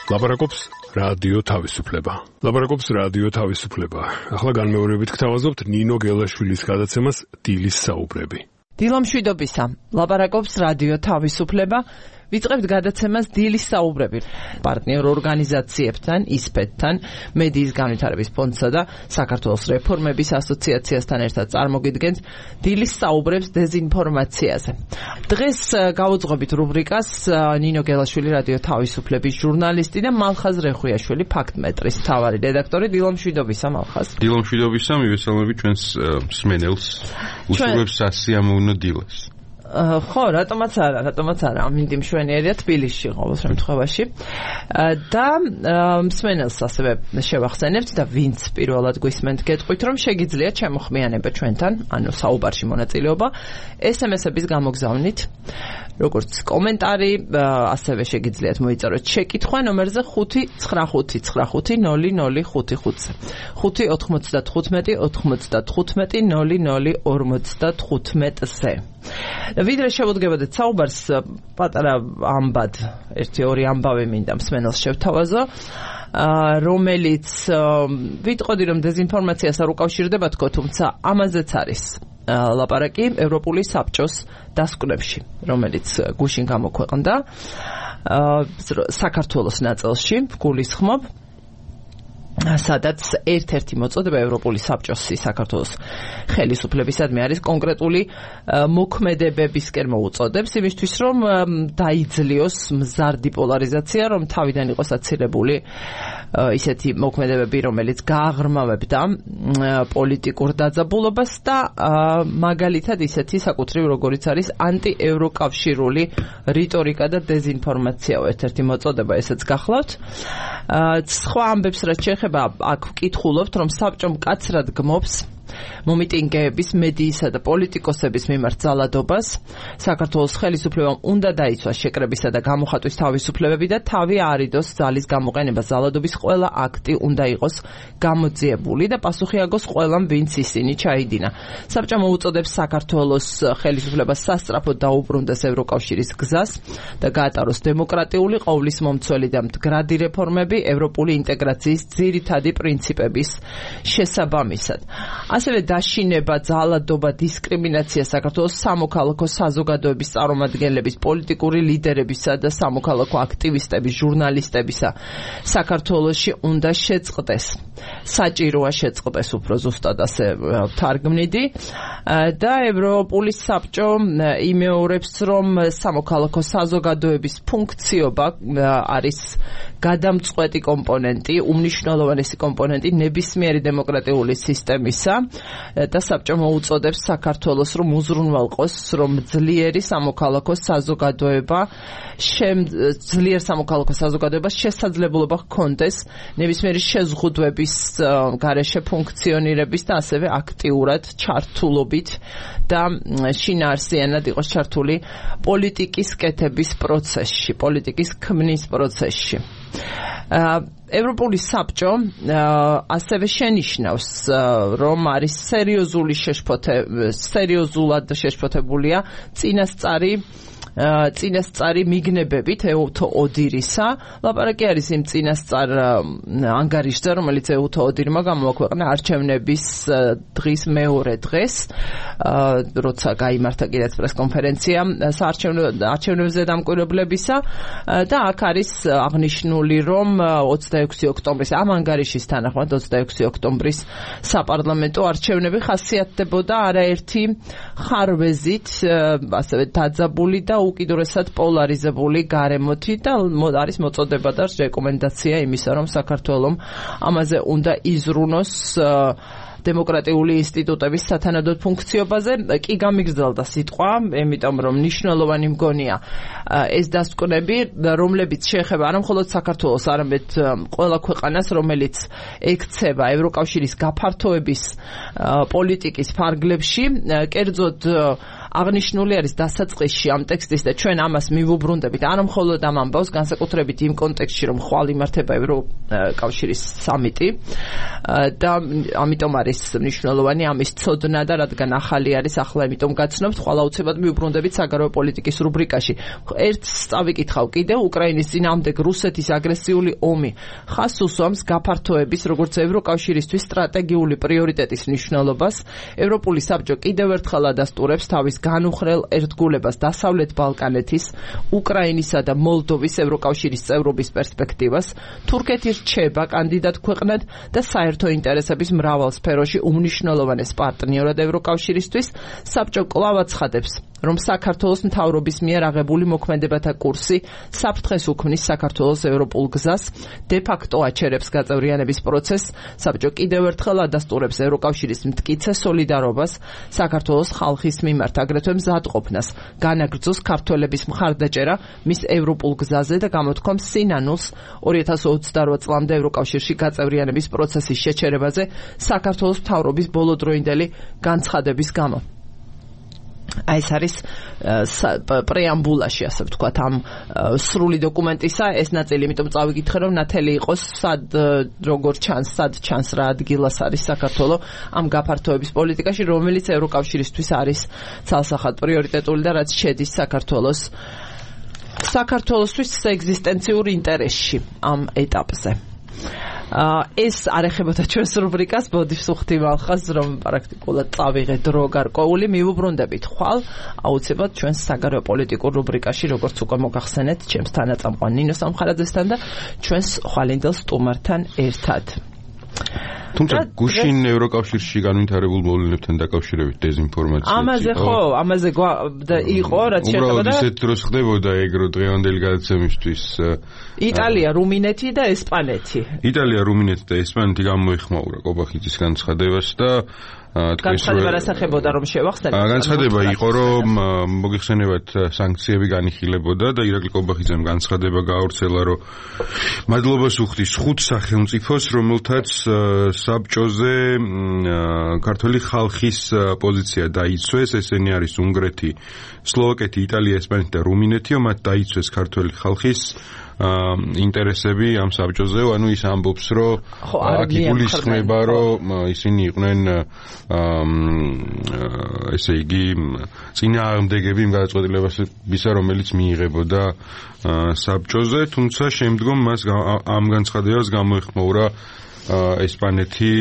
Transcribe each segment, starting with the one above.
ლაპარაკობს რადიო თავისუფლება. ლაპარაკობს რადიო თავისუფლება. ახლა განმეორებით გთავაზობთ ნინო გელაშვილის გადაცემას დილის საუბრები. დილომშვიდობისა. ლაპარაკობს რადიო თავისუფლება. ვიწყებთ გადაცემას დილის საუბრები. პარტნიორ ორგანიზაციებთან, ისპედთან, მედიის განვითარების ფონდსა და საქართველოს რეფორმების ასოციაციასთან ერთად წარმოგიდგენთ დილის საუბრებს დეზინფორმაციაზე. დღეს გავუძღვებით რუბრიკას ნინო გელაშვილი რადიო თავისუფლების ჟურნალისტი და მალხაზ რეხვიაშვილი ფაქტმეტრის მთავარი რედაქტორი. დილომშვიდობისა მალხაზ. დილომშვიდობისა, მივესალმები ჩვენს მსმენელს. უსურვებს სასიამოვნო დილას. ხო, რატომაც არა, ამინდი მშვენიერია თბილისში ყოველ შემთხვევაში. და მსმენელს ასევე შევახსენებთ და ვინც პირველად გვისმენთ გეტყვით, რომ შეგიძლიათ შემოხმიანება ჩვენთან, ანუ საუბარში მონაწილეობა, SMS-ების გამოგზავნით, როგორც კომენტარი, ასევე შეგიძლიათ მოიწეროთ შეკითხვა ნომერზე 595900555-ზე. 595-95-0055-ზე. ვიდრე შევუდგებოდეთ საუბარს, პატარა ამბად, 1-2 ამბავი მინდა მსმენელს შევთავაზო, რომელიც ვიტყოდი, რომ დეზინფორმაციას არ უკავშირდება თქო, თუმცა ამაზეც არის ლაპარაკი ევროპული საბჭოს დასკვნებში, რომელიც გუშინ გამოქვეყნდა საქართველოს ნაწილში, გულისხმობ, სადაც ერთ-ერთი მოწოდება ევროპული საბჭოსი საქართველოს ხელისუფლებისადმი არის კონკრეტული მოქმედებებისკენ მოუწოდებს, იმისთვის რომ დაიძლიოს მზარდი პოლარიზაცია, რომ თავიდან იყოს აცილებული ისეთი მოქმედებები, რომელიც გააღრმავებდა პოლიტიკურ დაძაბულობას და მაგალითად ისეთი საკუთრივ როგორიც არის ანტიევროკავშირული რიტორიკა და დეზინფორმაციაო ერთ-ერთი მოწოდება, ესეც გახლავთ. სხვა ამბებს რაც შეეხება, აქ ვკითხულობთ, რომ საბჭომ მკაცრად გმობს მომიტინგეების, მედიისა და პოლიტიკოსების მიმართ ძალადობას. საქართველოს ხელისუფლებამ უნდა დაიცვას შეკრებისა და გამოხატვის თავისუფლებები და თავი აარიდოს ძალის გამოყენება. ძალადობის ყველა აქტი უნდა იყოს გამოძიებული და პასუხი აგოს ყველამ, ვინც ისინი ჩაიდინა. საბჭო მოუწოდებს საქართველოს ხელისუფლებას სასწრაფოდ დაუბრუნდეს ევროკავშირის გზას და გაატაროს დემოკრატიული, ყოვლისმომცველი და მდგრადი რეფორმები ევროპული ინტეგრაციის ძირითადი პრინციპების შესაბამისად. ასევე დაშინება, ძალადობა, დისკრიმინაცია საქართველოს სამოქალაქო საზოგადოების წარმომადგენლების, პოლიტიკური ლიდერებისა და სამოქალაქო აქტივისტების, ჟურნალისტებისა საქართველოში უნდა შეწყდეს. საჭიროა შეწყდეს, უფრო ზუსტად ასე ვთარგმნიდი. და ევროპული საბჭო იმეორებს, რომ სამოქალაქო საზოგადოების ფუნქციობა არის გადამწყვეტი კომპონენტი, უმნიშვნელოვანესი კომპონენტი ნებისმიერი დემოკრატიული სისტემისა და საბჭო მოუწოდებს საქართველოს, რომ უზრუნველყოს, რომ ძლიერ სამოქალაქო საზოგადოებას შესაძლებლობა ჰქონდეს ნებისმიერი შეზღუდვების გარეშე ფუნქციონირების და ასევე აქტიურად ჩართულობით და შინაარსიანად იყოს ჩართული პოლიტიკის კეთების პროცესში, პოლიტიკის ქმნის პროცესში. ევროპული საბჭო ასევე შენიშნავს, რომ არის სერიოზულად შეშფოთებულია წინასწარი მიგნებებით ეუთო ოდირისა. ლაპარაკი არის იმ წინასწარ ანგარიშზე, რომელიც ეუთო ოდირმა გამოაქვეყნა არჩევნების დღის მეორე დღეს, როცა გაიმართა კიდეც პრესკონფერენცია არჩევნებზე დამკვირვებლებისა და აქ არის აღნიშნული, რომ 26 ოქტომბრის ამ ანგარიშის თანახმად 26 ოქტომბრის საპარლამენტო არჩევნები ხასიათდებოდა არაერთი ხარვეზით, ასევე დაძაბული და უკიდურესად პოლარიზებული გარემოთი და არის მოწოდება და რეკომენდაცია იმისა, რომ საქართველოს ამაზე უნდა იზრუნოს დემოკრატიული ინსტიტუტების სათანადოდ ფუნქციობაზე. კი გამიგრძელდა სიტყვა, იმიტომ რომ მნიშვნელოვანი მგონია ეს დასკვნები, რომლებიც შეეხება არა მხოლოდ საქართველოს, არამედ ყველა ქვეყანას, რომელიც ექცევა ევროკავშირის გაფართოების პოლიტიკის ფარგლებში, კერძოდ აღნიშნული არის დასაწყისში ამ ტექსტის და ჩვენ ამას მივუბრუნდებით არა მხოლოდ ამ ამბავს, განსაკუთრებით იმ კონტექსტში, რომ ხვალ იმართება ევროკავშირის სამიტი და ამიტომ არის მნიშვნელოვანი ამის ცოდნა და რადგან ახალი არის ახლა ამიტომ გაცნობთ, ხვალ აუცილებლად მივუბრუნდებით საგარეო პოლიტიკის რუბრიკაში. ერთს წავიკითხავ კიდევ უკრაინის წინააღმდეგ რუსეთის აგრესიული ომი ხაზს უსვამს გაფართოების როგორც ევროკავშირისთვის სტრატეგიული პრიორიტეტის მნიშვნელობას. ევროპული საბჭო კიდევ ერთხელ ადასტურებს თავის განუხრელ ერთგულებას დასავლეთ ბალკანეთის, უკრაინისა და მოლდოვის ევროკავშირის წევრობის პერსპექტივას. თურქეთი რჩება კანდიდატ ქვეყნად და საერთო ინტერესების მრავალ სფეროში უმნიშვნელოვანეს პარტნიორად ევროკავშირისთვის. საბჭო კვლავ აცხადებს, რომ საქართველოს მთავრობის მიერ აღებული მოქმედებათა კურსი საფრთხეს უქმნის საქართველოს ევროპულ გზას, de facto აჩერებს გაწევრიანების პროცესს. საბჭო კიდევ ერთხელ ადასტურებს ევროკავშირის მტკიცე სოლიდარობას საქართველოს ხალხის მიმართ, აგრეთვე მზადყოფნას განაგრძოს ქართველების მხარდაჭერა მის ევროპულ გზაზე და გამოთქვამს სინანულს 2028 წლამდე ევროკავშირში გაწევრიანების პროცესის შეჩერებაზე საქართველოს მთავრობის ბოლოდროინდელი განცხადების გამო. აი ეს არის პრეამბულაში, ასე ვთქვათ, ამ სრული დოკუმენტისა ეს ნაწილი, იმიტომ წავიკითხე, რომ ნათელი იყოს სად როგორ ჩანს, სად ჩანს რა ადგილას არის საქართველო ამ გაფართოების პოლიტიკაში, რომელიც ევროკავშირისთვის არის ცალსახად პრიორიტეტული და რაც შედის საქართველოსთვის ეგზისტენციურ ინტერესში ამ ეტაპზე. ეს არ ეხებოდა ჩვენს რუბრიკას, ბოდიშ სუხთი მალხას, რომ პრაქტიკულად წავიღე დრო გარკვეული, მივუბრუნდებით ხვალ აუცილებლად ჩვენს საგარეო პოლიტიკურ რუბრიკაში, როგორც უკვე მოგახსენეთ, ჩემს თანაწამყვან ნინო სამხარაძესთან და ჩვენს ხვალინდელ სტუმართან ერთად. თუმცა გუშინ ევროკავშირში განვითარებულ მოვლენებთან დაკავშირებით დეзинფორმაცია ამაზე იყო, რაც შეეხება უბრალოდ ისეთ დროს ხდებოდა ეგრო დღევანდელი გადაცემისთვის. იტალია, რუმინეთი და ესპანეთი. იტალია, რუმინეთი და ესპანეთი გამოიხმაურა კობახიძის განცხადებას და განცხადება რასახებოდა, რომ შევახსენოთ? განცხადება იყო, რომ მოგიხსენებათ სანქციები განიხილებოდა და ირაკლი კობახიძემ განცხადება გაავრცელა, რომ მადლობას უხდის 5 სახელმწიფოს, რომელთაც საბჭოზე ქართული ხალხის პოზიცია დაიცვეს, ესენი არის უნგრეთი, სლოვაკეთი, იტალია, ესპანეთი და რუმინეთი, მათ დაიცვეს ქართული ხალხის ინტერესები ამ საბჭოზე, ანუ ის ამბობს, რომ აქ იგულისხმება, რომ ისინი იყვნენ ესე იგი წინააღმდეგები იმ გადაწყვეტილებისა, რომელიც მიიღებოდა საბჭოზე, თუმცა შემდგომ მას ამ განცხადებას გამოეხმაურა ესპანეთი,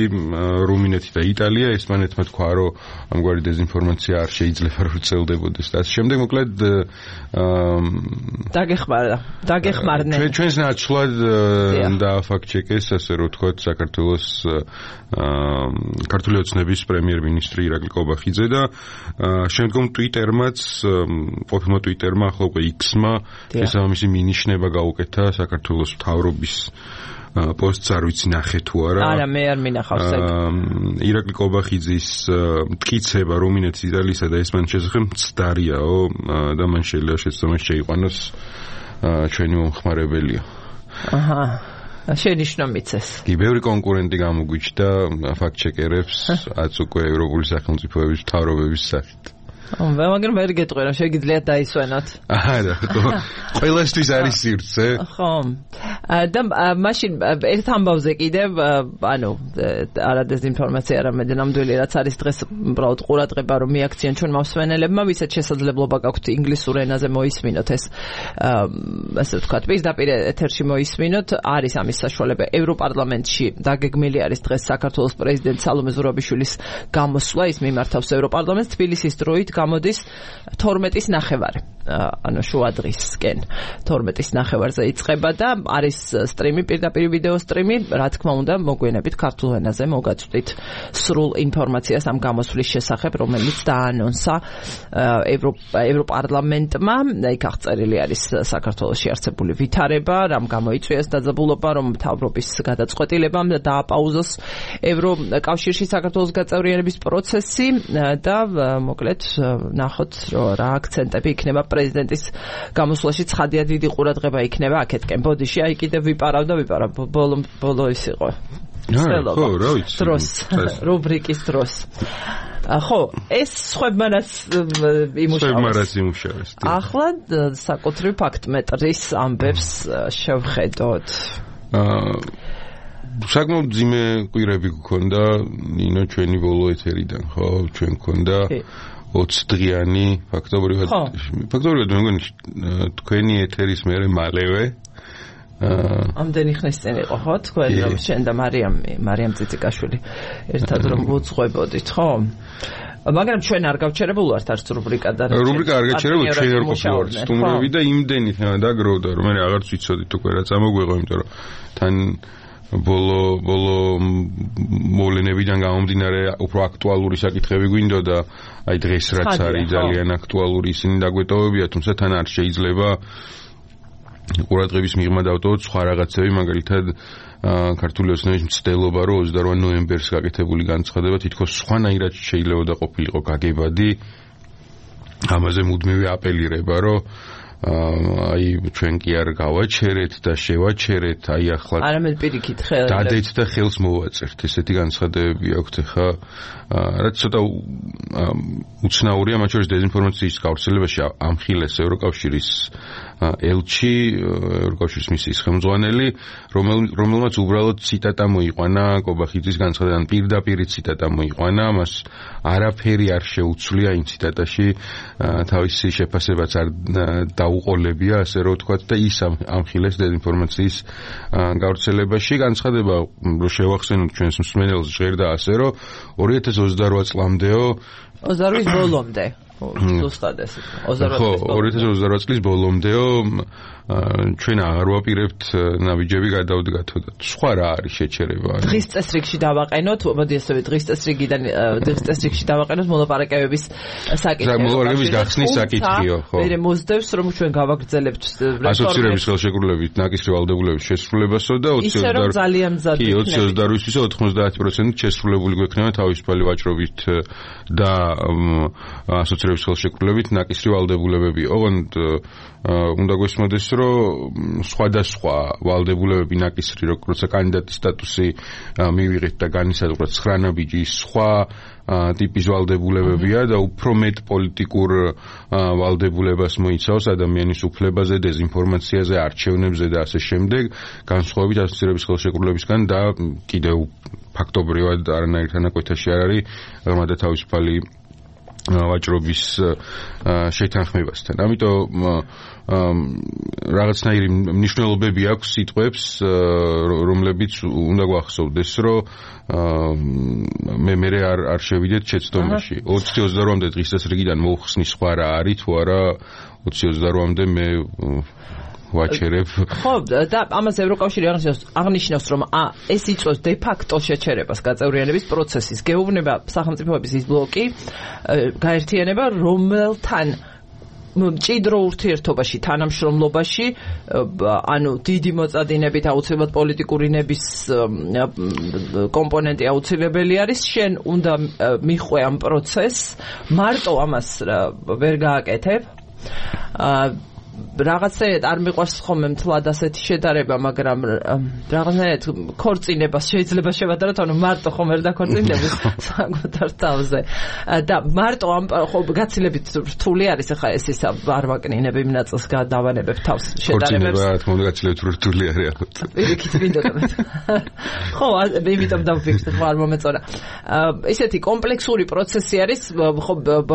რუმინეთი და იტალია. ესპანეთმა თქვა, რომ ამგვარი დეзинფორმაცია არ შეიძლება რომ ვრცელდებოდეს. და შემდეგ მოკლედ დაგეხმარნენ. ჩვენს ნაცვლად დააფაქტ-ჩეკეს, ასე რომ ვთქვათ, საქართველოს ქართული ოცნების პრემიერ-მინისტრი ირაკლი კობახიძე და შემდგომ ტვიტერმაც, ყოფილმა ტვიტერმა, ახლა უკვე X-მა შესაბამისი მინიშნება გაუკეთა საქართველოს მთავრობის პოსტს, არ ვიცი ნახე თუ არა. არა, მე არ მინახავს ეგ. ირაკლი კობახიძის მტკიცება რუმინეთის, იტალიისა და ესპანეთის შესახებ მცდარიაო და მან შეიძლება შეცდომა შეიყვანოს ჩვენი მომხმარებელია. აჰა. შენიშნო მიცეს. კი, ბევრი კონკურენტი გამოგვიჩნდა ფაქტ-ჩეკერებს, აც უკვე ევროპული სახელმწიფოების მთავრობების სახით. მაგრამ ვერ გეტყვი, რომ შეგიძლიათ დაისვენოთ. არა, ყველასთვის არის სივრცე. ხო. და მაშინ ერთ ამბავზე კიდევ, ანუ არა დეзинფორმაცია, არამედ ნამდვილი რაც არის დღეს უბრალოდ ყურადღება, რომ მიაქციან ჩვენ მოსვენელებმა, ვისაც შესაძლებლობა გაქვთ ინგლისურ ენაზე მოისმინოთ ეს, ასე ვთქვათ, პირდაპირ ეთერში მოისმინოთ, არის ამის საშუალება. ევროპარლამენტში დაგეგმილი არის დღეს საქართველოს პრეზიდენტ სალომე ზურაბიშვილის გამოსვლა, ის მიმართავს ევროპარლამენტს თბილისის დროით გამოდის 12:30, ანუ შუა დღისკენ 12:30-ზე იწყება და არის სტრიმი, პირდაპირ ვიდეო სტრიმი, რა თქმა უნდა, მოგვიანებით ქართულ ენაზე მოგაწვდით სრულ ინფორმაციას ამ გამოსვლის შესახებ, რომელიც დაანონსა ევროპარლამენტმა. იქ აღწერილი არის საქართველოში არსებული ვითარება, რამ გამოიწვიეს დაძაბულობა, რომ მთავრობის გადაწყვეტილებამ დააპაუზოს ევროკავშირში საქართველოს გაწევრიანების პროცესი და მოკლედ ნახოთ, რომ რა აქცენტები იქნება პრეზიდენტის გამოსვლაში. ცხადია, დიდი ყურადღება იქნება აქეთკენ. ბოდიში, აი კიდევ ვიპარავ, ბოლო ის იყო. ხო, რა ვიცი. დროს, რუბრიკის დროს. ხო, ეს სხვებმარაც იმუშავეს. ახლა საკუთრივ ფაქტმეტრის ამბებს შევხედოთ. საკმაოდ ძიმე კვირები გქონდა ნინო ჩვენი ბოლო ეთერიდან, ხო, ჩვენ გქონდა 20 დღიანი ფაქტობრივად მე მგონი თქვენი ეთერის მერე მალევე ამდენი ხნის წინ იყო ხო თქვენ რომ შენ და მარიამ ციციკაშვილი ერთად რომ ვუძღვებოდით ხო მაგრამ ჩვენ არ გავჩერებულ ვართ არც რუბრიკა და რუბრიკა არ გაჩერებულ ჩვენ არ ყოფილვართ სტუმრები და იმდენი დაგროვდა რომ მე აღარც ვიცოდით უკვე რა წამოგვეღო იმიტომ რომ თან ბოლო მოვლენებიდან გამომდინარე უფრო აქტუალური საკითხები გვინდოდა აი დღეს რაც არის ძალიან აქტუალური ისინი დაგვეტოვებია თუმცა თან არ შეიძლება ყურადღების მიღმა დავტოვოთ სხვა რაღაცები მაგალითად ქართული ოცნების მცდელობა რომ 28 ნოემბერს გაკეთებული განცხადება თითქოს სხვანაირად შეიძლება და ყოფილიყო გაგებადი ამაზე მუდმივი აპელირება რომ აი ჩვენ კი არ გავაჩერეთ და შევაჩერეთ აი ახლა არამედ პირიქით ხელს დადეთ და ხელს მოვაწერთ ესეთი განცხადებები აქვთ ხა რაც ცოტა უცნაურია მათ შორის დეзинფორმაციის გავრცელებაში ამხილეს ევროკავშირის ელჩი ევროკავშირის მისიის ხელმძღვანელი რომელმაც უბრალოდ ციტატა მოიყვანა კობახიძის განცხადებიდან პირდაპირ ციტატა მოიყვანა მას არაფერი არ შეუცვლია იმ ციტატაში თავისი შეფასებაც არ დაუყოლებია ასე რომ ვთქვათ და ის ამხილეს დეзинფორმაციის გავრცელებაში განცხადება რომ შევახსენოთ ჩვენს მსმენელს ჟღერდა ასე რომ 2028 წლამდეო 28 ბოლომდე ზუსტად ეს 2028 წლის ბოლომდეო ჩვენ აღარ ვაპირებთ ნაბიჯები გადავდგათო და სხვა რა არის შეჩერება დღის წესრიგში დავაყენოთ მოდი ესე დღის წესრიგში დავაყენოთ მოლაპარაკებების საკითხი მოლაპარაკების გახსნის საკითხიო ხო მე მოსდევს რომ ჩვენ გავაგრძელებთ ასოცირების ხელშეკრულებით ნაკისრი ვალდებულების შესრულებასო და 2028-ისო 90% შესრულებული გვექნება თავისუფალი ვაჭრობით და ასოცირების ხელშეკრულებით ნაკისრი ვალდებულებები ოღონდ უნდა გვესმოდეს რომ სხვადასხვა ვალდებულებები ნაკისრი როცა კანდიდატის სტატუსი მივიღეთ და განისაზღვრეთ 9 ნაბიჯის სხვა ტიპის ვალდებულებებია და უფრო მეტ პოლიტიკურ ვალდებულებას მოიცავს ადამიანის უფლებაზე, დეзинფორმაციაზე, არჩევნებზე და ასე შემდეგ, განსხვავებით ასოცირების ხელშეკრულებისგან და კიდევ ფაქტობრივად არანაირ თანაკვეთაში არ არის ღრმა და თავისუფალი ვაჭრობის შეთანხმებასთან. ამიტომ რაღაცნაირი მნიშვნელობები აქვს სიტყვებს, რომლებიც უნდა გვახსოვდეს, რომ მე არ შევიდეთ შეცდომაში. 2028-მდე დღის წესრიგიდან მოუხსნის სხვა რა არის თუ არა 2028-მდე მე ვაჩერებ. ხო, და ამას ევროკავშირი აღნიშნავს, რომ ეს იწვევს დე ფაქტო შეჩერებას გაწევრიანების პროცესის. გეუბნება სახელმწიფოების ის ბლოკი გაერთიანება, რომელთან მჭიდრო ურთიერთობაში, თანამშრომლობაში, ანუ დიდი მოწადინებით აუცილებლად პოლიტიკური ნების კომპონენტი აუცილებელი არის, შენ უნდა მიხვე ამ პროცესს, მარტო ამას ვერ გააკეთებ. რაღაცნაირად არ მიყვარს ხოლმე მთლად ასეთი შედარება, მაგრამ რაღაცნაირად ქორწინებას შეიძლება შევადაროთ, ანუ მარტო ხომ ვერ დაქორწინდები საკუთარ თავზე. და მარტო ამ ხო გაცილებით რთული არის ახლა ეს ისა არ ვაკნინებ იმ ნაწილს გადავანებებ თავს შედარებებს. ქორწინება რა თქმა უნდა გაცილებით რთული არის ალბათ. პირიქით მინდოდა. ხო, იმიტომ დავფიქრე, ხო არ მომეწონა. ესეთი კომპლექსური პროცესი არის, ხო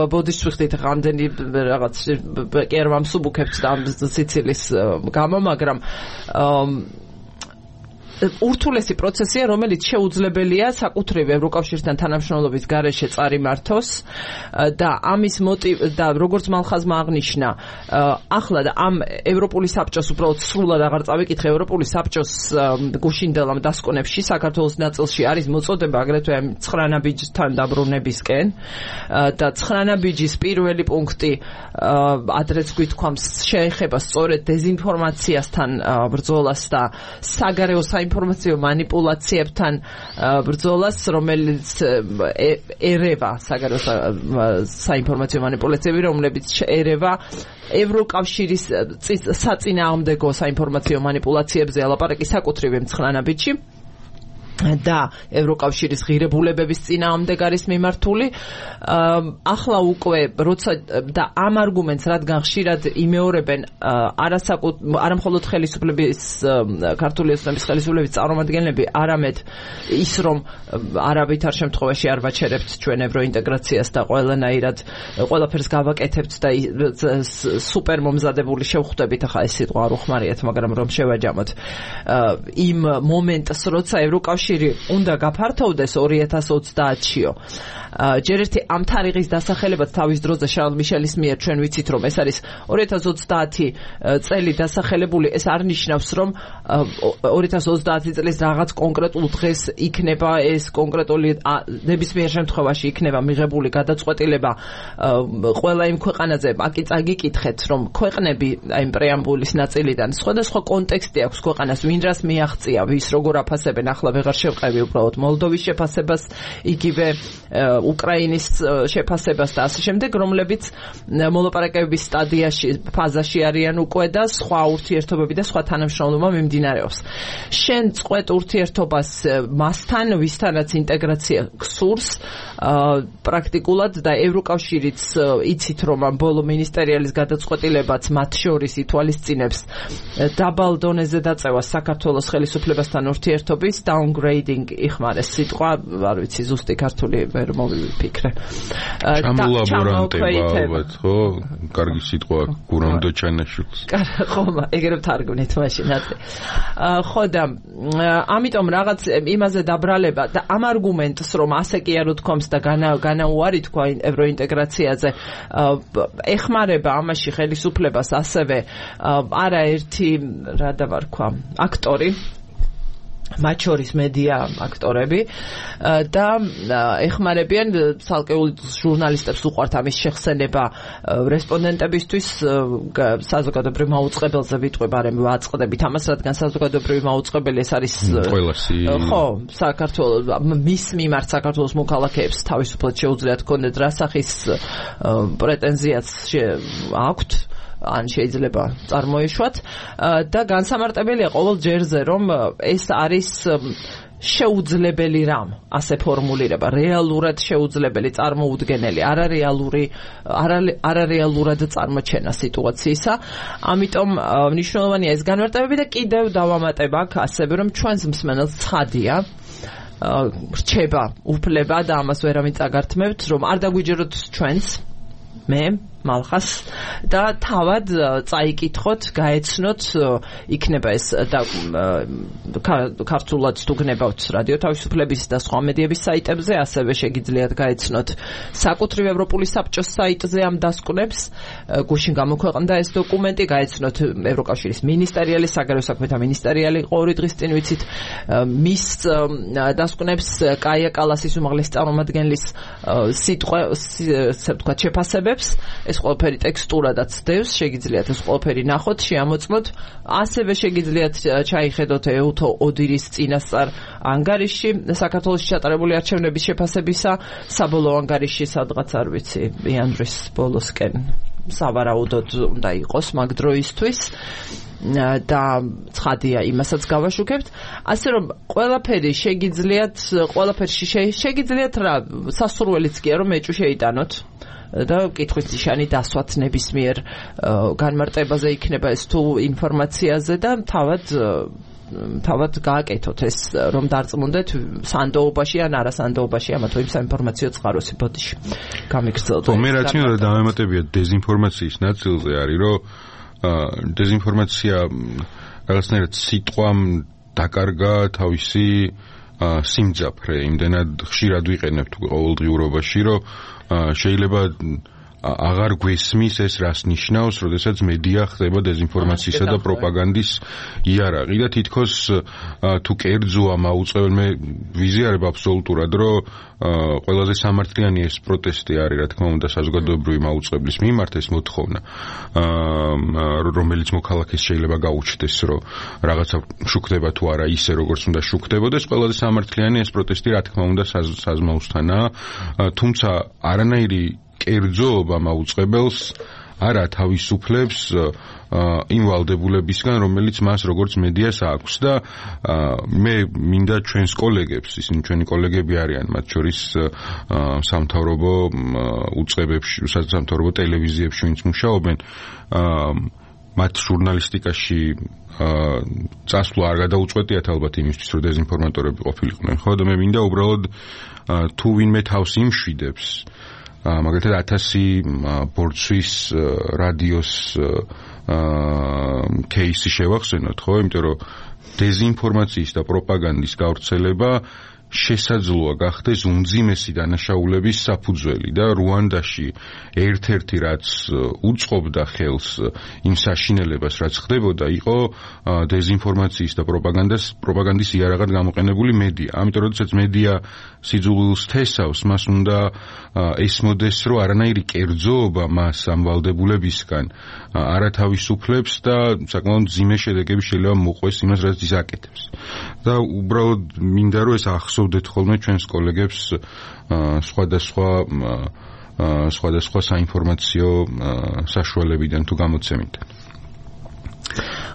ბოდიშ ვიხდით ამდენი რაღაც კი არ ვამსუბუქებთ და სიცილის გამო, მაგრამ ურთულესი პროცესია, რომელიც შეუძლებელია საკუთრივ ევროკავშირთან თანამშრომლობის გარეშე წარიმართოს და ამის და როგორც მალხაზმა აღნიშნა, ახლა ამ ევროპული საბჭოს უბრალოდ სრულად აღარ წავიკითხე, ევროპული საბჭოს გუშინდელ ამ დასკვნებში საქართველოს ნაწილში არის მოწოდება აგრეთვე 9 ნაბიჯთან დაბრუნებისკენ და 9 ნაბიჯის პირველი პუნქტი ადრეც გვითქვამს შეეხება სწორედ დეзинფორმაციასთან ბრძოლას და საგარეო ინფორმაციო манипуляციებთან ბრძოლას, რომელიც ერევა საგარეო საინფორმაციო манипуляციები, რომლებიც ერევა ევროკავშირის საწინააღმდეგო საინფორმაციო манипуляციებზე ალაპარაკი საკუთრივ 9 ნაბიჯში. და ევროკავშირის ღირებულებების წინააღმდეგ არის მიმართული. ახლა უკვე როცა და ამ არგუმენტს რადგან ხშირად იმეორებენ არა მხოლოდ ხელისუფლების ქართული ოცნების ხელისუფლების წარმომადგენლები, არამედ ის რომ არავითარ შემთხვევაში არ ვაჩერებთ ჩვენ ევროინტეგრაციას და ყველანაირად ყველაფერს გავაკეთებთ და სუპერ მომზადებული შევხვდებით, ახლა ეს სიტყვა არ უხმარიათ, მაგრამ რომ შევაჯამოთ იმ მომენტს, როცა ევროკავშირი უნდა გაფართოვდეს 2030-იო. ჯერ ერთი ამ თარიღის დასახელებაც თავის დროზე შარლ მიშელის მიერ ჩვენ ვიცით რომ ეს არის 2030 წელი დასახელებული, ეს არ ნიშნავს რომ 2030 წლის რაღაც კონკრეტულ დღეს იქნება ეს კონკრეტული ნებისმიერ შემთხვევაში იქნება მიღებული გადაწყვეტილება ყველა იმ ქვეყანაზე. აკი წაგიკითხეთ რომ ქვეყნები აი პრეამბულის ნაწილიდან სხვადასხვა კონტექსტი აქვს ქვეყანას, ვინ რას მიაღწია, ვის როგორ აფასებენ, ახლა ვეღარ შევყევი უბრალოდ მოლდოვის შეფასებას, იგივე უკრაინის შეფასებას და ასე შემდეგ, რომლებიც მოლაპარაკებების სტადიაში, ფაზაში არიან უკვე და სხვა ურთიერთობები და სხვა თანამშრომლობა მიმდინარეობს. შენ წყვეტ ურთიერთობას მასთან, ვისთანაც ინტეგრაცია გსურს პრაქტიკულად და ევროკავშირიც იცით რომ ამ ბოლო მინისტერიალის გადაწყვეტილებაც მათ შორის ითვალისწინებს დაბალ დონეზე დაწევას საქართველოს ხელისუფლებასთან ურთიერთობის downgrade იხმარეს სიტყვა, არ ვიცი ზუსტი ქართული ვერ მოვიფიქრე. ჩამოლაბორანტება ალბათ, ხო? კარგი სიტყვა გურამდო ჩანაშულს. ხო, ეგრევე თარგმნით მაშინ აწე. ხო და ამიტომ რაღაც იმაზე დაბრალება და ამ არგუმენტს რომ ასე კი არ უთქვამს და განაუარი თქვა ევროინტეგრაციაზე ეხმარება ამაში ხელისუფლებას ასევე არაერთი რა დავარქვა აქტორი, მათ შორის მედია აქტორები და ეხმარებიან ცალკეულ ჟურნალისტებს უყვართ ამის შეხსენება რესპონდენტებისთვის საზოგადოებრივ მაუწყებელზე ვიტყვი, არამედ ვაწყდებით ამას, რადგან საზოგადოებრივი მაუწყებელი ეს არის ხო, საქართველოს მის მიმართ საქართველოს მოქალაქეებს თავისუფლად შეუძლიათ კონდეთ რა სახის პრეტენზიაც აქვთ ან შეიძლება წარმოეშვათ და განსამარტებელია ყოველ ჯერზე რომ ეს არის შეუძლებელი რამ, ასე ფორმულირება, რეალურად შეუძლებელი, წარმოუდგენელი, არარეალურად წარმოჩენა სიტუაციისა. ამიტომ მნიშვნელოვანია ეს განმარტებები და კიდევ დავამატებ აქ ასევე რომ ჩვენს მსმენელს ცხადია რჩება უფლება და ამას ვერავინ წაგართმევთ რომ არ დაგვიჯეროთ ჩვენს მე მალხას და თავად წაიკითხოთ, გაეცნოთ, იქნება ეს და ქართულად თუ გნებავთ რადიო თავისუფლების და სხვა მედიების საიტებზე, ასევე შეგიძლიათ გაეცნოთ საკუთრივ ევროპული საბჭოს საიტზე ამ დასკვნებს, გუშინ გამოქვეყნდა ეს დოკუმენტი, გაეცნოთ ევროკავშირის მინისტერიალი, საგარეო საქმეთა მინისტერიალი ორი დღის წინ ვიცით მის დასკვნებს კაია კალასის უმაღლესი წარმომადგენლის სიტყვა, ასე ვთქვათ, შეფასებებს. ეს ყველაფერი ტექსტურადაც დევს, შეგიძლიათ ეს ყველაფერი ნახოთ, შეამოწმოთ. ასევე შეგიძლიათ ჩაიხედოთ ეუთო ოდირის წინასწარ ანგარიში საქართველოს ჩატარებული არჩევნების შეფასებისა, საბოლოო ანგარიში სადღაც არ ვიცი, იანვრის ბოლოსკენ სავარაუდოდ უნდა იყოს მაგ დროისთვის. და ცხადია იმასაც გავაშუქებთ, ასე რომ ყველაფერი შეგიძლიათ რა სასურველიც კი რომ ეჭვი შეიტანოთ და კითხვის ნიშანი დასვათ ნებისმიერ განმარტებაზე იქნება ეს თუ ინფორმაციაზე და თავად გააკეთოთ ეს რომ დარწმუნდეთ სანდოობაში ან არასანდოობაში ამა თუ იმ საინფორმაციო წყაროსი ბოდიში გამიგრძელოთ. მე რაც მინდა დავემატებია დეზინფორმაციის ნაწილზე არის რომ დეზინფორმაცია რაღაცნაირად სიტყვამ დაკარგა თავისი სიმძაფრე, იმდენად ხშირად ვიყენებთ ყოველდღიურობაში, რომ შეიძლება აღარ გვესმის ეს რას ნიშნავს, როდესაც მედია ხდება დეზინფორმაციისა და პროპაგანდის იარაღი და თითქოს თუ კერძოა მაუწყებელ მე ვიზიარებ აბსოლუტურად, რომ ყველაზე სამართლიანი ეს პროტესტი არის, რა თქმა უნდა, საზოგადოებრივი მაუწყებლის მიმართ ეს მოთხოვნა, რომელიც მოქალაქეს შეიძლება გაუჩნდეს, რომ რაღაცა შუქდება თუ არა ისე, როგორც უნდა შუქდებოდეს, ყველაზე სამართლიანი ეს პროტესტი, რა თქმა უნდა, საზმაოსთანაა, თუმცა არანაირი კერძოობა მაუწყებელს არა თავისუფლებს იმ ვალდებულებისგან, რომელიც მას როგორც მედიას აქვს და მე მინდა ჩვენს კოლეგებს, ისინი ჩვენი კოლეგები არიან, მათ შორის სამთავრობო უწყებებში, სამთავრობო ტელევიზიებში ვინც მუშაობენ, მათ ჟურნალისტიკაში წასვლა არ გადაუწყვეტიათ ალბათ იმისთვის, რომ დეზინფორმატორები ყოფილიყვნენ, ხო და მე მინდა უბრალოდ თუ ვინმე თავს იმშვიდებს, მაგალითად 1000 ბორცვის რადიოს кейსი შევახსენოთ, ხო, იმიტომ რომ დეზინფორმაციის და პროპაგანდის გავრცელება შესაძლოა გახდეს უმძიმესი დანაშაულების საფუძველი და რუანდაში ერთ-ერთი რაც უწყობდა ხელს იმ საშინელებას რაც ხდებოდა იყო დეზინფორმაციის და პროპაგანდის იარაღად გამოყენებული მედია. ამიტომ როდესაც მედია სიძულვილს თესავს, მას უნდა ესმოდეს, რომ არანაირი კერძოობა მას ამ ვალდებულებისგან არ ათავისუფლებს და საკმაოდ მძიმე შედეგები შეიძლება მოყვეს იმას, რაც ის აკეთებს. და უბრალოდ მინდა რომ ეს ახსოვდეთ ხოლმე ჩვენს კოლეგებს სხვადასხვა საინფორმაციო საშუალებიდან თუ გამოცემიდან.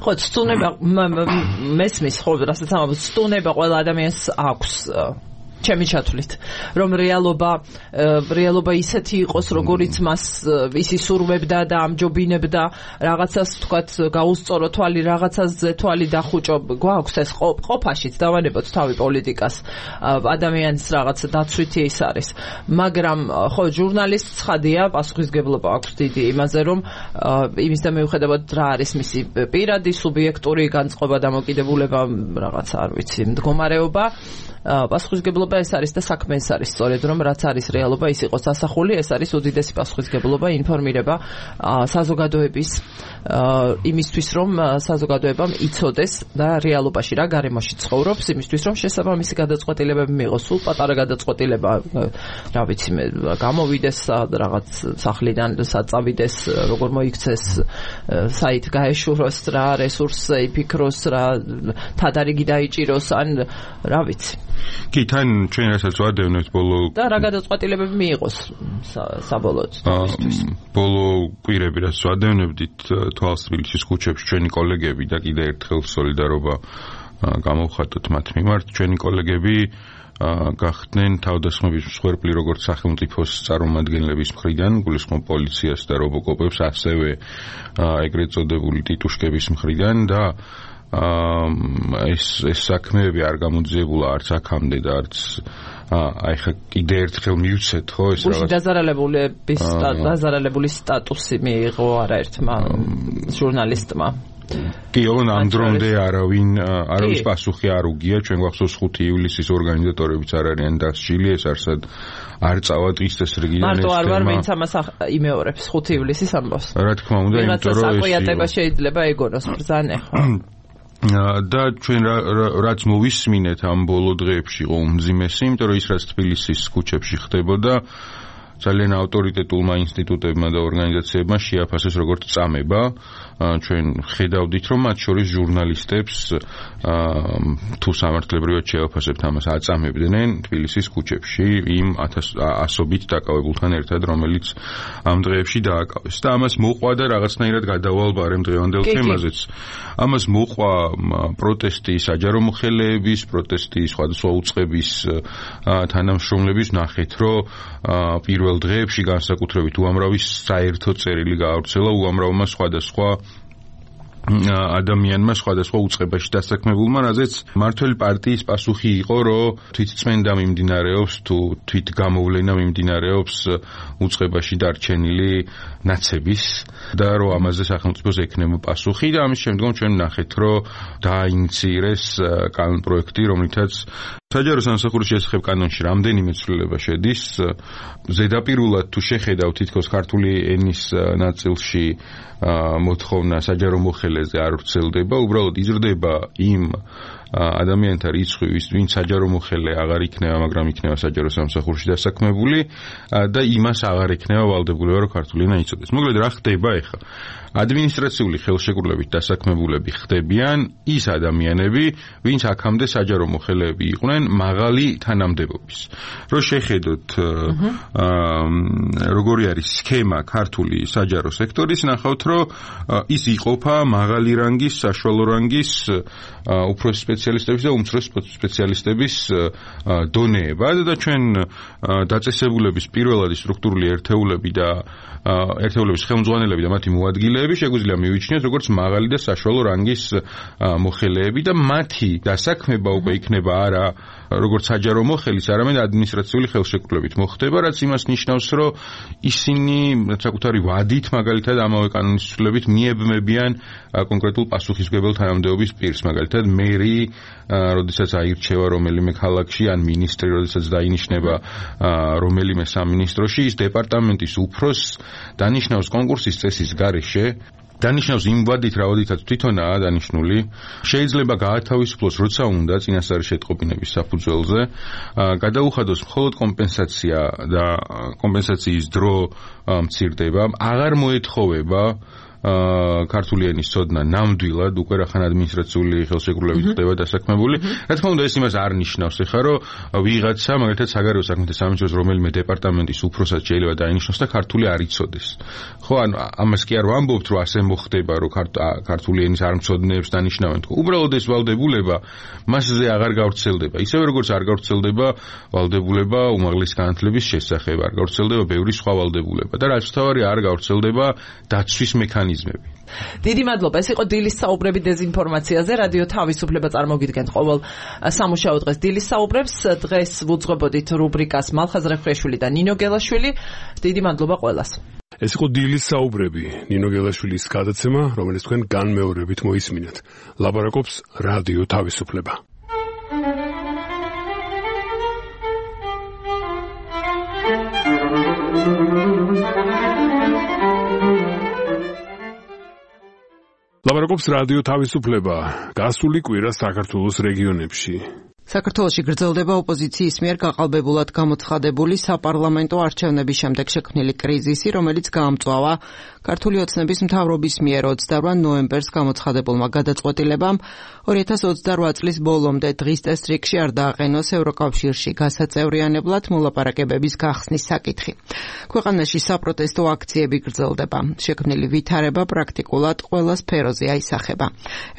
ხო, სტუნება მესმის ხო, რასაც ამბობთ, სტუნება ყველა ადამიანს აქვს ჩემი ჩათვლით, რომ რეალობა ისეთი იყოს, როგორიც მას ისი სურვებდა და ამჯობინებდა, რაღაცას თქვათ გაუსწორო თვალი, რაღაცაზე თვალი დახუჭო, გვაქვს ეს ყოფაშიც დავანებოთ თავი პოლიტიკას, ადამიანის რაღაც დაცვითი ის არის. მაგრამ ხო, ჟურნალისტ ცხადია, პასუხისგებლობა აქვს დიდი იმაზე, რომ იმის და მიუხედავად რა არის მისი პირადი, სუბიექტური განწყობა, დამოკიდებულება, რაღაც არ ვიცი, მდგომარეობა, პასუხისგებლობა ეს არის და საქმე ეს არის სწორედ რომ რაც არის რეალობა ის იყოს ასახული, ეს არის უდიდესი პასუხისგებლობა, ინფორმირება საზოგადოების იმისთვის რომ საზოგადოებამ იცოდეს და რეალობაში რა გარემოში ცხოვრობს, იმისთვის რომ შესაბამისი გადაწყვეტილებები მიიღოს, სულ პატარა გადაწყვეტილება, რა ვიცი მე, გამოვიდეს რაღაც სახლიდან, საწავიდეს, როგორ მოიქცეს, საით გაეშუროს რა, რესურსზე იფიქროს რა, თადარიგი დაიჭიროს, ან რა ვიცი. კი, თან ჩვენ რასაც ვადევნებთ ბოლო და რა გადაწყვეტილებები მიიღოს საბოლოოდ იმისთვის. ბოლო კვირები რაც ვადევნებდით თვალს თბილისის ქუჩებში ჩვენი კოლეგები და კიდე ერთხელ სოლიდარობა გამოვხატოთ მათ მიმართ. ჩვენი კოლეგები გახდნენ თავდასხმების მსხვერპლი როგორც სახელმწიფოს წარმომადგენლების მხრიდან, გულისხმობ პოლიციას და რობოკოპებს, ასევე ეგრეთ წოდებული ტიტუშკების მხრიდან და ეს საქმეები არ გამოძიებულა არც აქამდე და არც აი ხა კიდე ერთხელ მივცეთ ხო ეს რაღაც დაზარალებული სტატუსი მიიღო არაერთმა ჟურნალისტმა. კი, ამ დრომდე არავის პასუხი არ უგია, ჩვენ გვახსოვს 5 ივლისის ორგანიზატორებიც არ არიან დასჯილი, ეს არსად არ წავა დღის რიგიდან ეს თემა. მარტო არ ვარ ვინც ამას იმეორებს 5 ივლისის ამბავს. რა თქმა უნდა, იმიტომ რომ ეს საყვიატება შეიძლება ეგონოს ბრძანე ხო. და ჩვენ რაც მოვისმინეთ ამ ბოლო დღეებში იყო უმძიმესი, იმიტომ რომ ის რაც თბილისის ქუჩებში ხდებოდა ძალიან ავტორიტეტულმა ინსტიტუტებმა და ორგანიზაციებმა შეაფასეს როგორც წამება. ჩვენ ხედავდით, რომ მათ შორის ჟურნალისტებს თუ სამართლებრივად შეაფასებთ ამას აწამებდნენ თბილისის ქუჩებში იმ ასობით დაკავებულთან ერთად, რომელიც ამ დღეებში დააკავეს. და ამას მოყვა და რაღაცნაირად გადავალ ამ დღევანდელ თემაზეც. ამას მოყვა პროტესტი საჯარო მოხელეების, პროტესტი სხვადასხვა უწყების თანამშრომლების, ნახეთ, რომ პირველ დღეებში განსაკუთრებით უამრავი საერთო წერილი გაავრცელა უამრავმა სხვადასხვა ადამიანმა სხვადასხვა უწყებაში დასაქმებულმა, რაზეც მმართველი პარტიის პასუხი იყო, რომ თვითწმენდა მიმდინარეობს თუ თვით გამოვლენა მიმდინარეობს უწყებაში დარჩენილი ნაცების და რომ ამაზე სახელმწიფოს ექნება პასუხი და ამის შემდგომ ჩვენ ნახეთ, რომ დაინიცირეს კანონპროექტი, რომლითაც საჯარო სამსახურის შესახებ კანონში რამდენიმე ცვლილება შედის. ზედაპირულად თუ შეხედავ თითქოს ქართული ენის ნაწილში მოთხოვნა საჯარო მოხელეზე არ ვრცელდება, უბრალოდ იზრდება იმ ადამიანთა რიცხვი, ვინც საჯარო მოხელე აღარ იქნება, მაგრამ იქნება საჯარო სამსახურში დასაქმებული და იმას აღარ იქნება ვალდებულება, რომ ქართული ენა იცოდეს. მოკლედ რა ხდება ახლა? ადმინისტრაციული ხელშეკრულებით დასაქმებულები ხდებიან ის ადამიანები, ვინც აქამდე საჯარო მოხელეები იყვნენ მაღალი თანამდებობის. რო შეხედოთ როგორი არის სქემა ქართული საჯარო სექტორის, ნახავთ, რომ ის იყოფა მაღალი რანგის, საშუალო რანგის უფროსი სპეციალისტების და უმცროსი სპეციალისტების დონეებად და ჩვენ დაწესებულების პირველადი სტრუქტურული ერთეულები და ერთეულების ხელმძღვანელები და მათი მოადგილეები შეგვიძლია მივიჩნიოთ როგორც მაღალი და საშუალო რანგის მოხელეები და მათი დასაქმება უკვე იქნება არა როგორც საჯარო მოხელის, არამედ ადმინისტრაციული ხელშეკრულებით მოხდება, რაც იმას ნიშნავს, რომ ისინი საკუთარი ვადით მაგალითად ამავე კანონის ცვლილებით მიებმებიან კონკრეტულ პასუხისმგებელ თანამდებობის პირს, მაგალითად მერი, როდესაც აირჩევა რომელიმე ქალაქში ან მინისტრი, როდესაც დაინიშნება რომელიმე სამინისტროში, ის დეპარტამენტის უფროსს დანიშნავს კონკურსის წესის გარეშე, დანიშნავს იმ ვადით, რაოდითაც თვითონაა დანიშნული, შეიძლება გაათავისუფლოს როცა უნდა წინასწარი შეტყობინების საფუძველზე, გადაუხადოს მხოლოდ კომპენსაცია და კომპენსაციის დრო მცირდება, აღარ მოეთხოვება ქართული ენის ცოდნა ნამდვილად უკვე რახან ადმინისტრაციული ხელშეკრულებით ხდება დასაქმებული. რა თქმა უნდა, ეს იმას არ ნიშნავს, ეხლა რომ ვიღაცა, მაგალითად საგარეო საქმეთა სამინისტროს რომელიმე დეპარტამენტის უფროსად შეიძლება დაინიშნოს და ქართული არ იცოდეს. ხო, ანუ ამას კი არ ვამბობთ, რომ ასე მოხდება, რომ ქართული ენის არ მცოდნეებს დანიშნავენ. უბრალოდ ეს ვალდებულება მასზე აღარ გავრცელდება. ისევე როგორც არ გავრცელდება ვალდებულება უმაღლესი განათლების შესახებ, არ გავრცელდება ბევრი სხვა ვალდებულება და რაც თავარი არ გავრცელდება დაცვის მექანიზმი. დიდი მადლობა. ეს იყო დილის საუბრები დეзинფორმაციაზე. რადიო თავისუფლება წარმოგიდგენთ ყოველ სამუშაო დღეს დილის საუბრებს. დღეს ვუძღვებოდით რუბრიკას მალხაზრე ხრეშვილი და ნინო გელაშვილი. დიდი მადლობა ყველას. ეს იყო დილის საუბრები, ნინო გელაშვილის გადაცემა, რომელიც თქვენ განმეორებით მოისმინეთ. ლაპარაკობს რადიო თავისუფლება. ლაპარაკობს რადიო თავისუფლება. გასული კვირა საქართველოს რეგიონებში. საქართველოში გრძელდება ოპოზიციის მიერ გაყალბებულად გამოცხადებული საპარლამენტო არჩევნების შემდეგ შექმნილი კრიზისი, რომელიც გაამწვავა ქართული ოცნების მთავრობის მიერ 28 ნოემბერს გამოცხადებულმა გადაწყვეტილებამ 2028 წლის ბოლომდე დღის წესრიგში არ დააყენოს ევროკავშირში გასაწევრიანებლად მოლაპარაკებების გახსნის საკითხი. ქვეყანაში საპროტესტო აქციები გრძელდება. შექმნილი ვითარება პრაქტიკულად ყველა სფეროზე აისახება.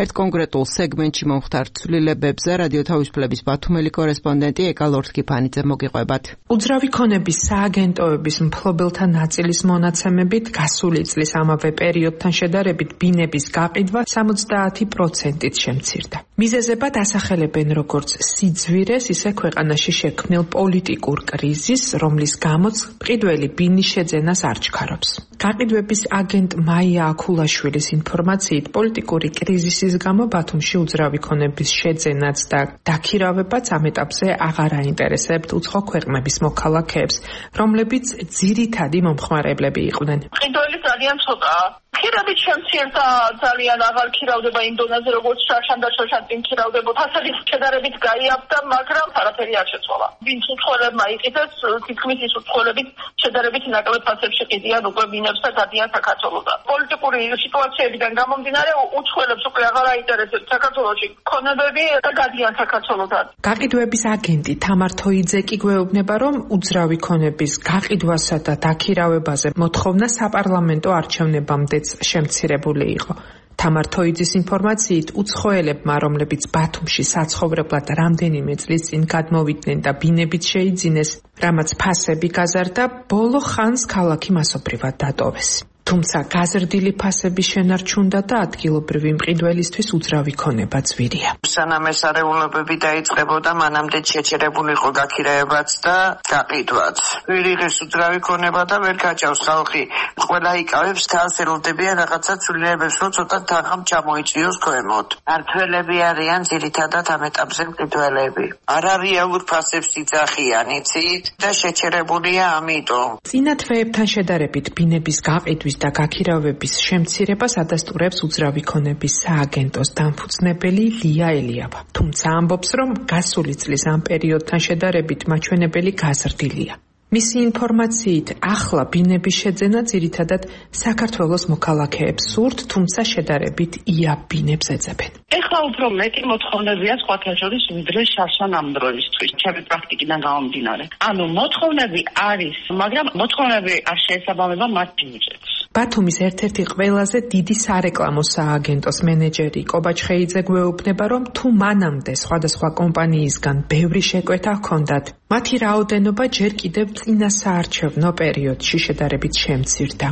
ერთ კონკრეტულ სეგმენტში მომხდარ ცვლილებებზე რადიო თავისუფლების ბათუმელი კორესპონდენტი ეკა ლორთქიფანიძე მოგიყვებათ. უძრავი ქონების სააგენტოების მფლობელთა ნაწილის მონაცემებით გასული წლის ამავე პერიოდთან შედარებით ბინების გაყიდვა 70%-ით შემცირდა. მიზეზებად ასახელებენ როგორც სიძვირეს, ისე ქვეყანაში შექმნილ პოლიტიკურ კრიზისს, რომლის გამოც მყიდველი ბინის შეძენას არ ჩქარობს. გაყიდვების აგენტ მაია აქულაშვილის ინფორმაციით, პოლიტიკური კრიზისის გამო ბათუმში უძრავი ქონების შეძენაც და დაქირავებაც ამ ეტაპზე აღარ აინტერესებთ უცხო ქვეყნების მოქალაქეებს, რომლებიც ძირითადი მომხმარებლები იყვნენ. მყიდველი ძალიან ცოტაა. ქირებით შემცირდა, ძალიან აღარ ქირავდება იმ დონეზე, როგორც შარშან და შოშან წინ ქირავდებოდა. ფასების შედარებით გაიაფდა, მაგრამ არაფერი არ შეცვალა. ვინც უცხოელებმა იყიდეს, თითქმის ის უცხოელებით შედარებით ნაკლებ ფასებში ყიდიან უკვე ბინებს და გადიან საქართველოდან. პოლიტიკური სიტუაციებიდან გამომდინარე, უცხოელებს უკვე აღარ აინტერესებს საქართველოში ქონებები და გადიან საქართველოდან. გაყიდვების აგენტი თამარ თოიძე კი გვეუბნება, რომ უძრავი ქონების გაყიდვასა და დაქირავებაზე მოთხოვნა საპარლამენტო არჩევნებამდე შემცირებული იყო. თამარ თოიძის ინფორმაციით, უცხოელებმა, რომლებიც ბათუმში საცხოვრებლად რამდენიმე წლის წინ გადმოვიდნენ და ბინებით შეიძინეს, რამაც ფასები გაზარდა, ბოლო ხანს ქალაქი მასობრივად დატოვეს. თუმცა გაზრდილი ფასების შენარჩუნდა და ადგილობრივი მყიდველისთვის უძრავი ქონება ძვირია. სანამ ეს არეულობები დაიწყებოდა, მანამდე შეჩერებული იყო გაქირაებაც და გაყიდვაც. ვერ იღებს უძრავი ქონება და ვერ გაჭავს ხალხი. ყველა იკავებს თავს, ელოდებიან რაღაცა ცვლილებებს, რომ ცოტა თანხამ ჩამოიწვიოს ქვემოთ. მართველები არიან ძირითადად ამ ეტაპზე მყიდველები. არარეალურ ფასებს იძახიან, იცით, და შეჩერებულია ამიტომ. წინა თვეებთან შედარებით ბინების გაყიდვის და გაქირავების შემცირებას ადასტურებს უძრავი ქონების სააგენტოს დამფუძნებელი ლია ელიავა. თუმცა ამბობს, რომ გასული წლის ამ პერიოდთან შედარებით მაჩვენებელი გაზრდილია. მისი ინფორმაციით, ახლა ბინების შეძენა ძირითადად საქართველოს მოქალაქეებს სურთ, თუმცა შედარებით იაფ ბინებს ეძებენ. ეხლა უფრო მეტი მოთხოვნებია სხვათა შორის ვიდრე შარშან ამ დროისთვის, ჩემი პრაქტიკიდან გამომდინარე. ანუ მოთხოვნები არის, მაგრამ მოთხოვნები არ შეესაბამება მათ ბიუჯეტს. ბათუმის ერთ-ერთი ყველაზე დიდი სარეკლამო სააგენტოს მენეჯერი კობა ჩხეიძე გვეუბნება, რომ თუ მანამდე სხვადასხვა კომპანიისგან ბევრი შეკვეთა ჰქონდათ, მათი რაოდენობა ჯერ კიდევ წინა საარჩევნო პერიოდში შედარებით შემცირდა.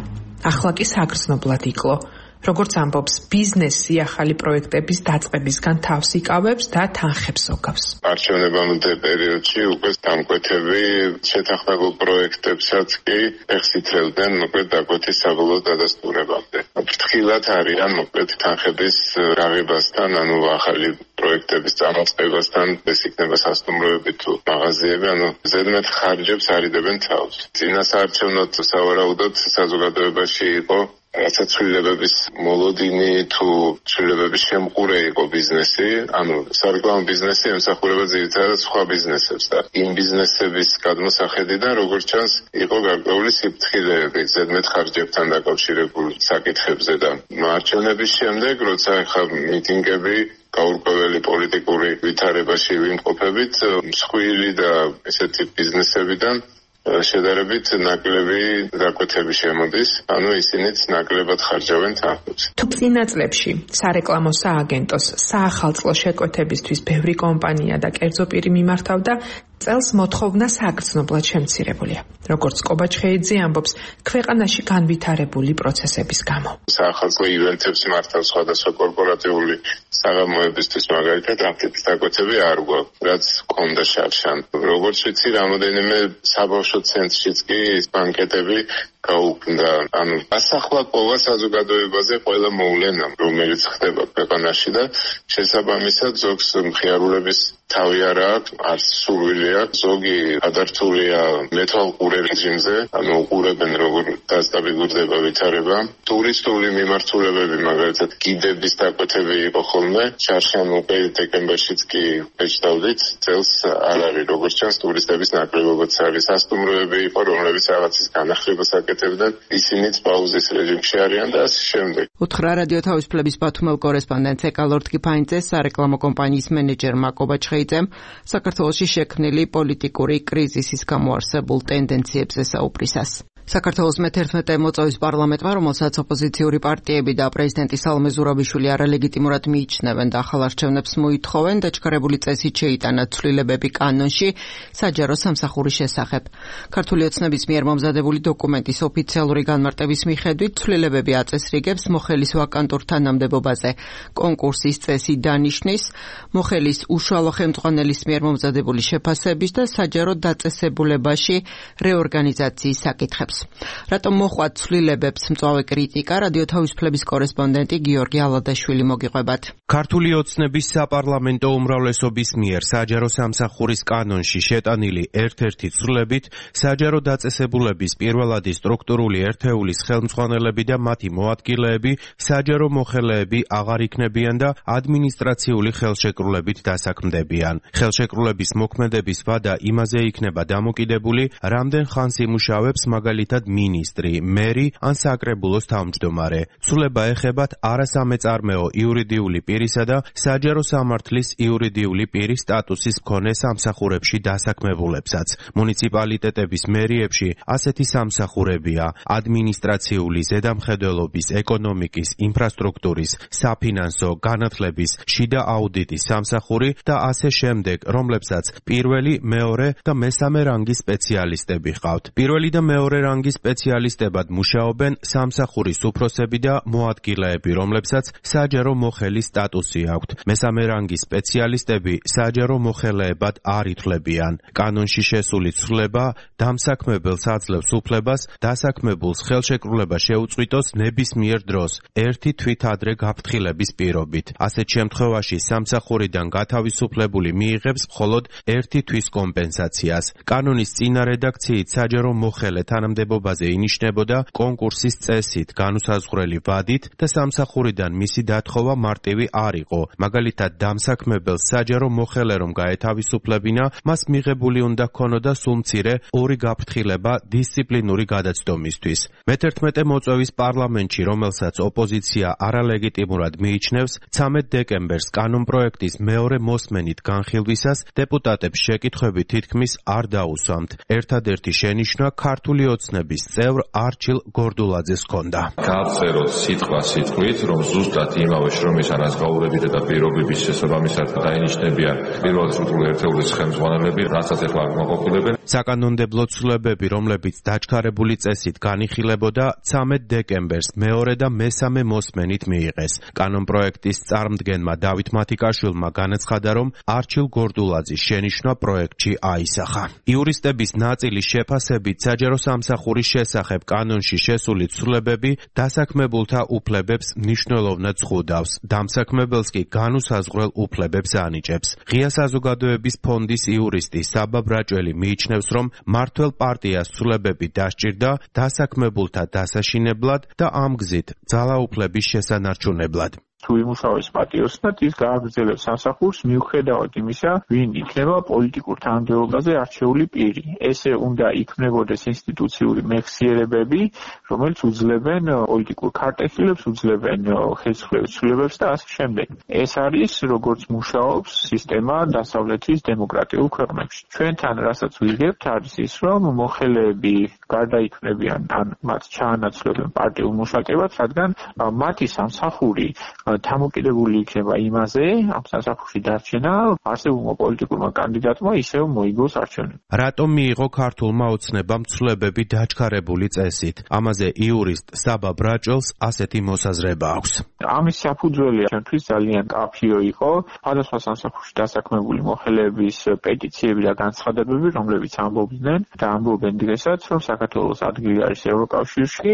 ახლა კი საგრძნობლად იკლო. როგორც ამბობს, ბიზნესი ახალი პროექტების დაწყებისგან თავს იკავებს და თანხებს ოგავს. არჩევნებამდე პერიოდში უკვე დამკვეთები შეთანხმებულ პროექტებსაც კი ფეხს ითრევდნენ მოკლედ დაკვეთის საბოლოო დადასტურებამდე. ფრთხილად არიან მოკლედ თანხების რაღებასთან, ანუ ახალი პროექტების წამოწყებასთან, ეს იქნება სასტუმროები თუ მაღაზიები, ანუ ზედმეტ ხარჯებს არიდებენ თავს. წინა საარჩევნოდ სავარაუდოდ საზოგადოებაში იყო რაცა ცვლილებების მოლოდინი თუ ცვლილებების შემყურე იყო ბიზნესი, ანუ სარეკლამო ბიზნესი ემსახურება ძირითადად სხვა ბიზნესებს და იმ ბიზნესების გადმოსახედიდან, როგორც ჩანს, იყო გარკვეული სიფრთხილეები ზედმეტ ხარჯებთან დაკავშირებული საკითხებზე და არჩევნების შემდეგ, როცა ახლა მიტინგები გაურკვეველი პოლიტიკური ვითარებაში ვიმყოფებით, მსხვილი და ესეთი ბიზნესებიდან შედარებით ნაკლები დაკვეთები შემოდის, ანუ ისინიც ნაკლებად ხარჯავენ თანხებს. თუ წინა წლებში სარეკლამო სააგენტოს საახალწლო შეკვეთებისთვის ბევრი კომპანია და კერძო პირი მიმართავდა, წელს მოთხოვნა საგრძნობლად შემცირებულია. როგორც კობა ჩხეიძე ამბობს, ქვეყანაში განვითარებული პროცესების გამო. საახალწლო ივენთებს მართავს სხვადასხვა კორპორატიული საღამოებისთვის, მაგალითად, ამ ტიპის დაკვეთები არ გვაქვს, რაც ჰქონდა შარშან. როგორც ვიცი, რამოდენიმე საბავშვო ცენტრშიც კი ბანკეტები გაუქმდა. ანუ ასახლა ყოლა საზოგადოებაზე ყველა მოვლენა, რომელიც ხდება ქვეყანაში და შესაბამისად ზოგს მხიარულების თავი არ აქვს, არც სურვილი აქვს, ზოგი ადართულია მეთვალყურე რეჟიმზე, ანუ უყურებენ როგორ დასტაბილურდება ვითარება. ტურისტული მიმართულებები, მაგალითად, გიდების დაკვეთები იყო ხოლმე, შარშან უკვე დეკემბერშიც კი ეჭდავდით, წელს არ არის, როგორც ჩანს, ტურისტების ნაკლებობაც არის. სასტუმროები იყო, რომლებიც რაღაცის განახლებას აკეთებდნენ, ისინიც პაუზის რეჟიმში არიან და ასე შემდეგ. უთხრა რადიო თავისუფლების ბათუმელ კორესპონდენტ ეკალორდ კიფაინძეს სარეკლამო კომპანიის მენეჯერმა კობა ჩხეიძემ საქართველოში შექმნილი პოლიტიკური კრიზისის გამოარსებულ ტენდენციებზე საუბრისას. საქართველოს მე-11 მოწვევის პარლამენტმა, რომელსაც ოპოზიციური პარტიები და პრეზიდენტი სალომე ზურაბიშვილი არალეგიტიმურად მიიჩნევენ და ახალ არჩევნებს მოითხოვენ, დაჩქარებული წესით შეიტანა ცვლილებები კანონში საჯარო სამსახურის შესახებ. ქართული ოცნების მიერ მომზადებული დოკუმენტის ოფიციალური განმარტების მიხედვით ცვლილებები აწესრიგებს მოხელის ვაკანტურ თანამდებობაზე კონკურსის წესი დანიშნის, მოხელის უშუალო ხელმძღვანელის მიერ მომზადებული შეფასების და საჯარო დაწესებულებაში რეორგანიზაციის საკითხებს. რატომ მოხვდა ცვლილებებს მწვავე კრიტიკა, რადიო თავისუფლების კორესპონდენტი გიორგი ალადაშვილი მოგიყვებათ. ქართული ოცნების საპარლამენტო უმრავლესობის მიერ საჯარო სამსახურის კანონში შეტანილი ერთ-ერთი ცვლილებით საჯარო დაწესებულების პირველადი სტრუქტურული ერთეულის ხელმძღვანელები და მათი მოადგილეები საჯარო მოხელეები აღარ იქნებიან და ადმინისტრაციული ხელშეკრულებით დასაქმდებიან. ხელშეკრულების მოქმედების ვადა იმაზე იქნება დამოკიდებული, რამდენ ხანს იმუშავებს მაგალითად მინისტრი, მერი ან საკრებულოს თავმჯდომარე. ცვლილება ეხებათ არასამეწარმეო იურიდიული პირისა და საჯარო სამართლის იურიდიული პირის სტატუსის მქონე სამსახურებში დასაქმებულებსაც. მუნიციპალიტეტების მერიებში ასეთი სამსახურებია: ადმინისტრაციული, ზედამხედველობის, ეკონომიკის, ინფრასტრუქტურის, საფინანსო, განათლების, შიდა აუდიტის სამსახური და ასე შემდეგ, რომლებსაც პირველი, მეორე და მესამე რანგის სპეციალისტები ჰყავთ. პირველი და მეორე რანგის სპეციალისტებად მუშაობენ სამსახურის უფროსები და მოადგილეები, რომლებსაც საჯარო მოხელის სტატუსი აქვთ. მესამე რანგის სპეციალისტები საჯარო მოხელეებად არ ითვლებიან. კანონში შესული ცვლილება დამსაქმებელს აძლევს უფლებას დასაქმებულს ხელშეკრულება შეუწყვიტოს ნებისმიერ დროს ერთი თვით ადრე გაფრთხილების პირობით. ასეთ შემთხვევაში სამსახურიდან გათავისუფლებული მიიღებს მხოლოდ ერთი თვის კომპენსაციას. კანონის წინა რედაქციით საჯარო მოხელე თანამდებობაზე თანამდებობაზე ინიშნებოდა კონკურსის წესით, განუსაზღვრელი ვადით და სამსახურიდან მისი დათხოვა მარტივი არ იყო. მაგალითად, დამსაქმებელს საჯარო მოხელე რომ გაეთავისუფლებინა, მას მიღებული უნდა ქონოდა სულ მცირე 2 გაფრთხილება დისციპლინური გადაცდომისთვის. მე-11 მოწვევის პარლამენტში, რომელსაც ოპოზიცია არალეგიტიმურად მიიჩნევს, 13 დეკემბერს კანონპროექტის მეორე მოსმენით განხილვისას დეპუტატებს შეკითხვები თითქმის არ დაუსვამთ. ერთადერთი შენიშვნა ქართული ოცნების წევრ არჩილ გორდულაძეს ჰქონდა. გააწეროთ სიტყვით, რომ ზუსტად იმავე შრომის ანაზღაურებითა და პირობების შესაბამისად დაინიშნებიან პირველი სრული ერთეულის ხელმძღვანელები, რასაც ეხლა მოყოფილებენ. საკანონმდებლო ცვლილებები, რომლებიც დაჩქარებული წესით განიხილებოდა, 13 დეკემბერს მეორე და მესამე მოსმენით მიიღეს. კანონპროექტის წარმდგენმა დავით მათიკაშვილმა განაცხადა, რომ არჩილ გორდულაძის შენიშვნა პროექტში აისახა. იურისტების ნაწილის შეფასებით საჯარო სამსახურის შესახებ კანონში შესული ცვლილებები დასაქმებულთა უფლებებს მნიშვნელოვნად ზღუდავს. დამსაქმებელს კი განუსაზღვრელ უფლებებს ანიჭებს. ღია საზოგადოების ფონდის იურისტი საბა ბრაჭველი მიიჩნევს, რომ მმართველ პარტიას ცვლილებები დასჭირდა დასაქმებულთა დასაშინებლად და ამ გზით ძალაუფლების შესანარჩუნებლად. თუ იმუშავებს პატიოსნად, ის გააგრძელებს სამსახურს მიუხედავად იმისა, ვინ იქნება პოლიტიკურ თანამდებობაზე არჩეული პირი. ესე უნდა იქმნებოდეს ინსტიტუციური მეხსიერებები, რომელიც უძლებენ პოლიტიკურ ქარტეხილებს, უძლებენ ხელისუფლების ცვლილებებს და ასე შემდეგ. ეს არის, როგორც მუშაობს სისტემა დასავლეთის დემოკრატიულ ქვეყნებში. ჩვენთან, რასაც ვიგებთ, არის ის, რომ მოხელეები გარდაიქმნებიან ან მათ ჩაანაცვლებენ პარტიულ მუშაკებად, რადგან მათი სამსახური დამოკიდებული იქნება იმაზე, ამ სამსახურში დარჩენა არსებულმა პოლიტიკურმა კანდიდატმა ისევ მოიგოს არჩევნები. რატომ მიიღო ქართულმა ოცნებამ ცვლილებები დაჩქარებული წესით? ამაზე იურისტ საბა ბრაჭველს ასეთი მოსაზრება აქვს. ამის საფუძველი ჩვენთვის ძალიან კაფიო იყო სხვადასხვა სამსახურში დასაქმებული მოხელეების პეტიციები და განცხადებები, რომლებიც ამბობდნენ და ამბობენ დღესაც, რომ საქართველოს ადგილი არის ევროკავშირში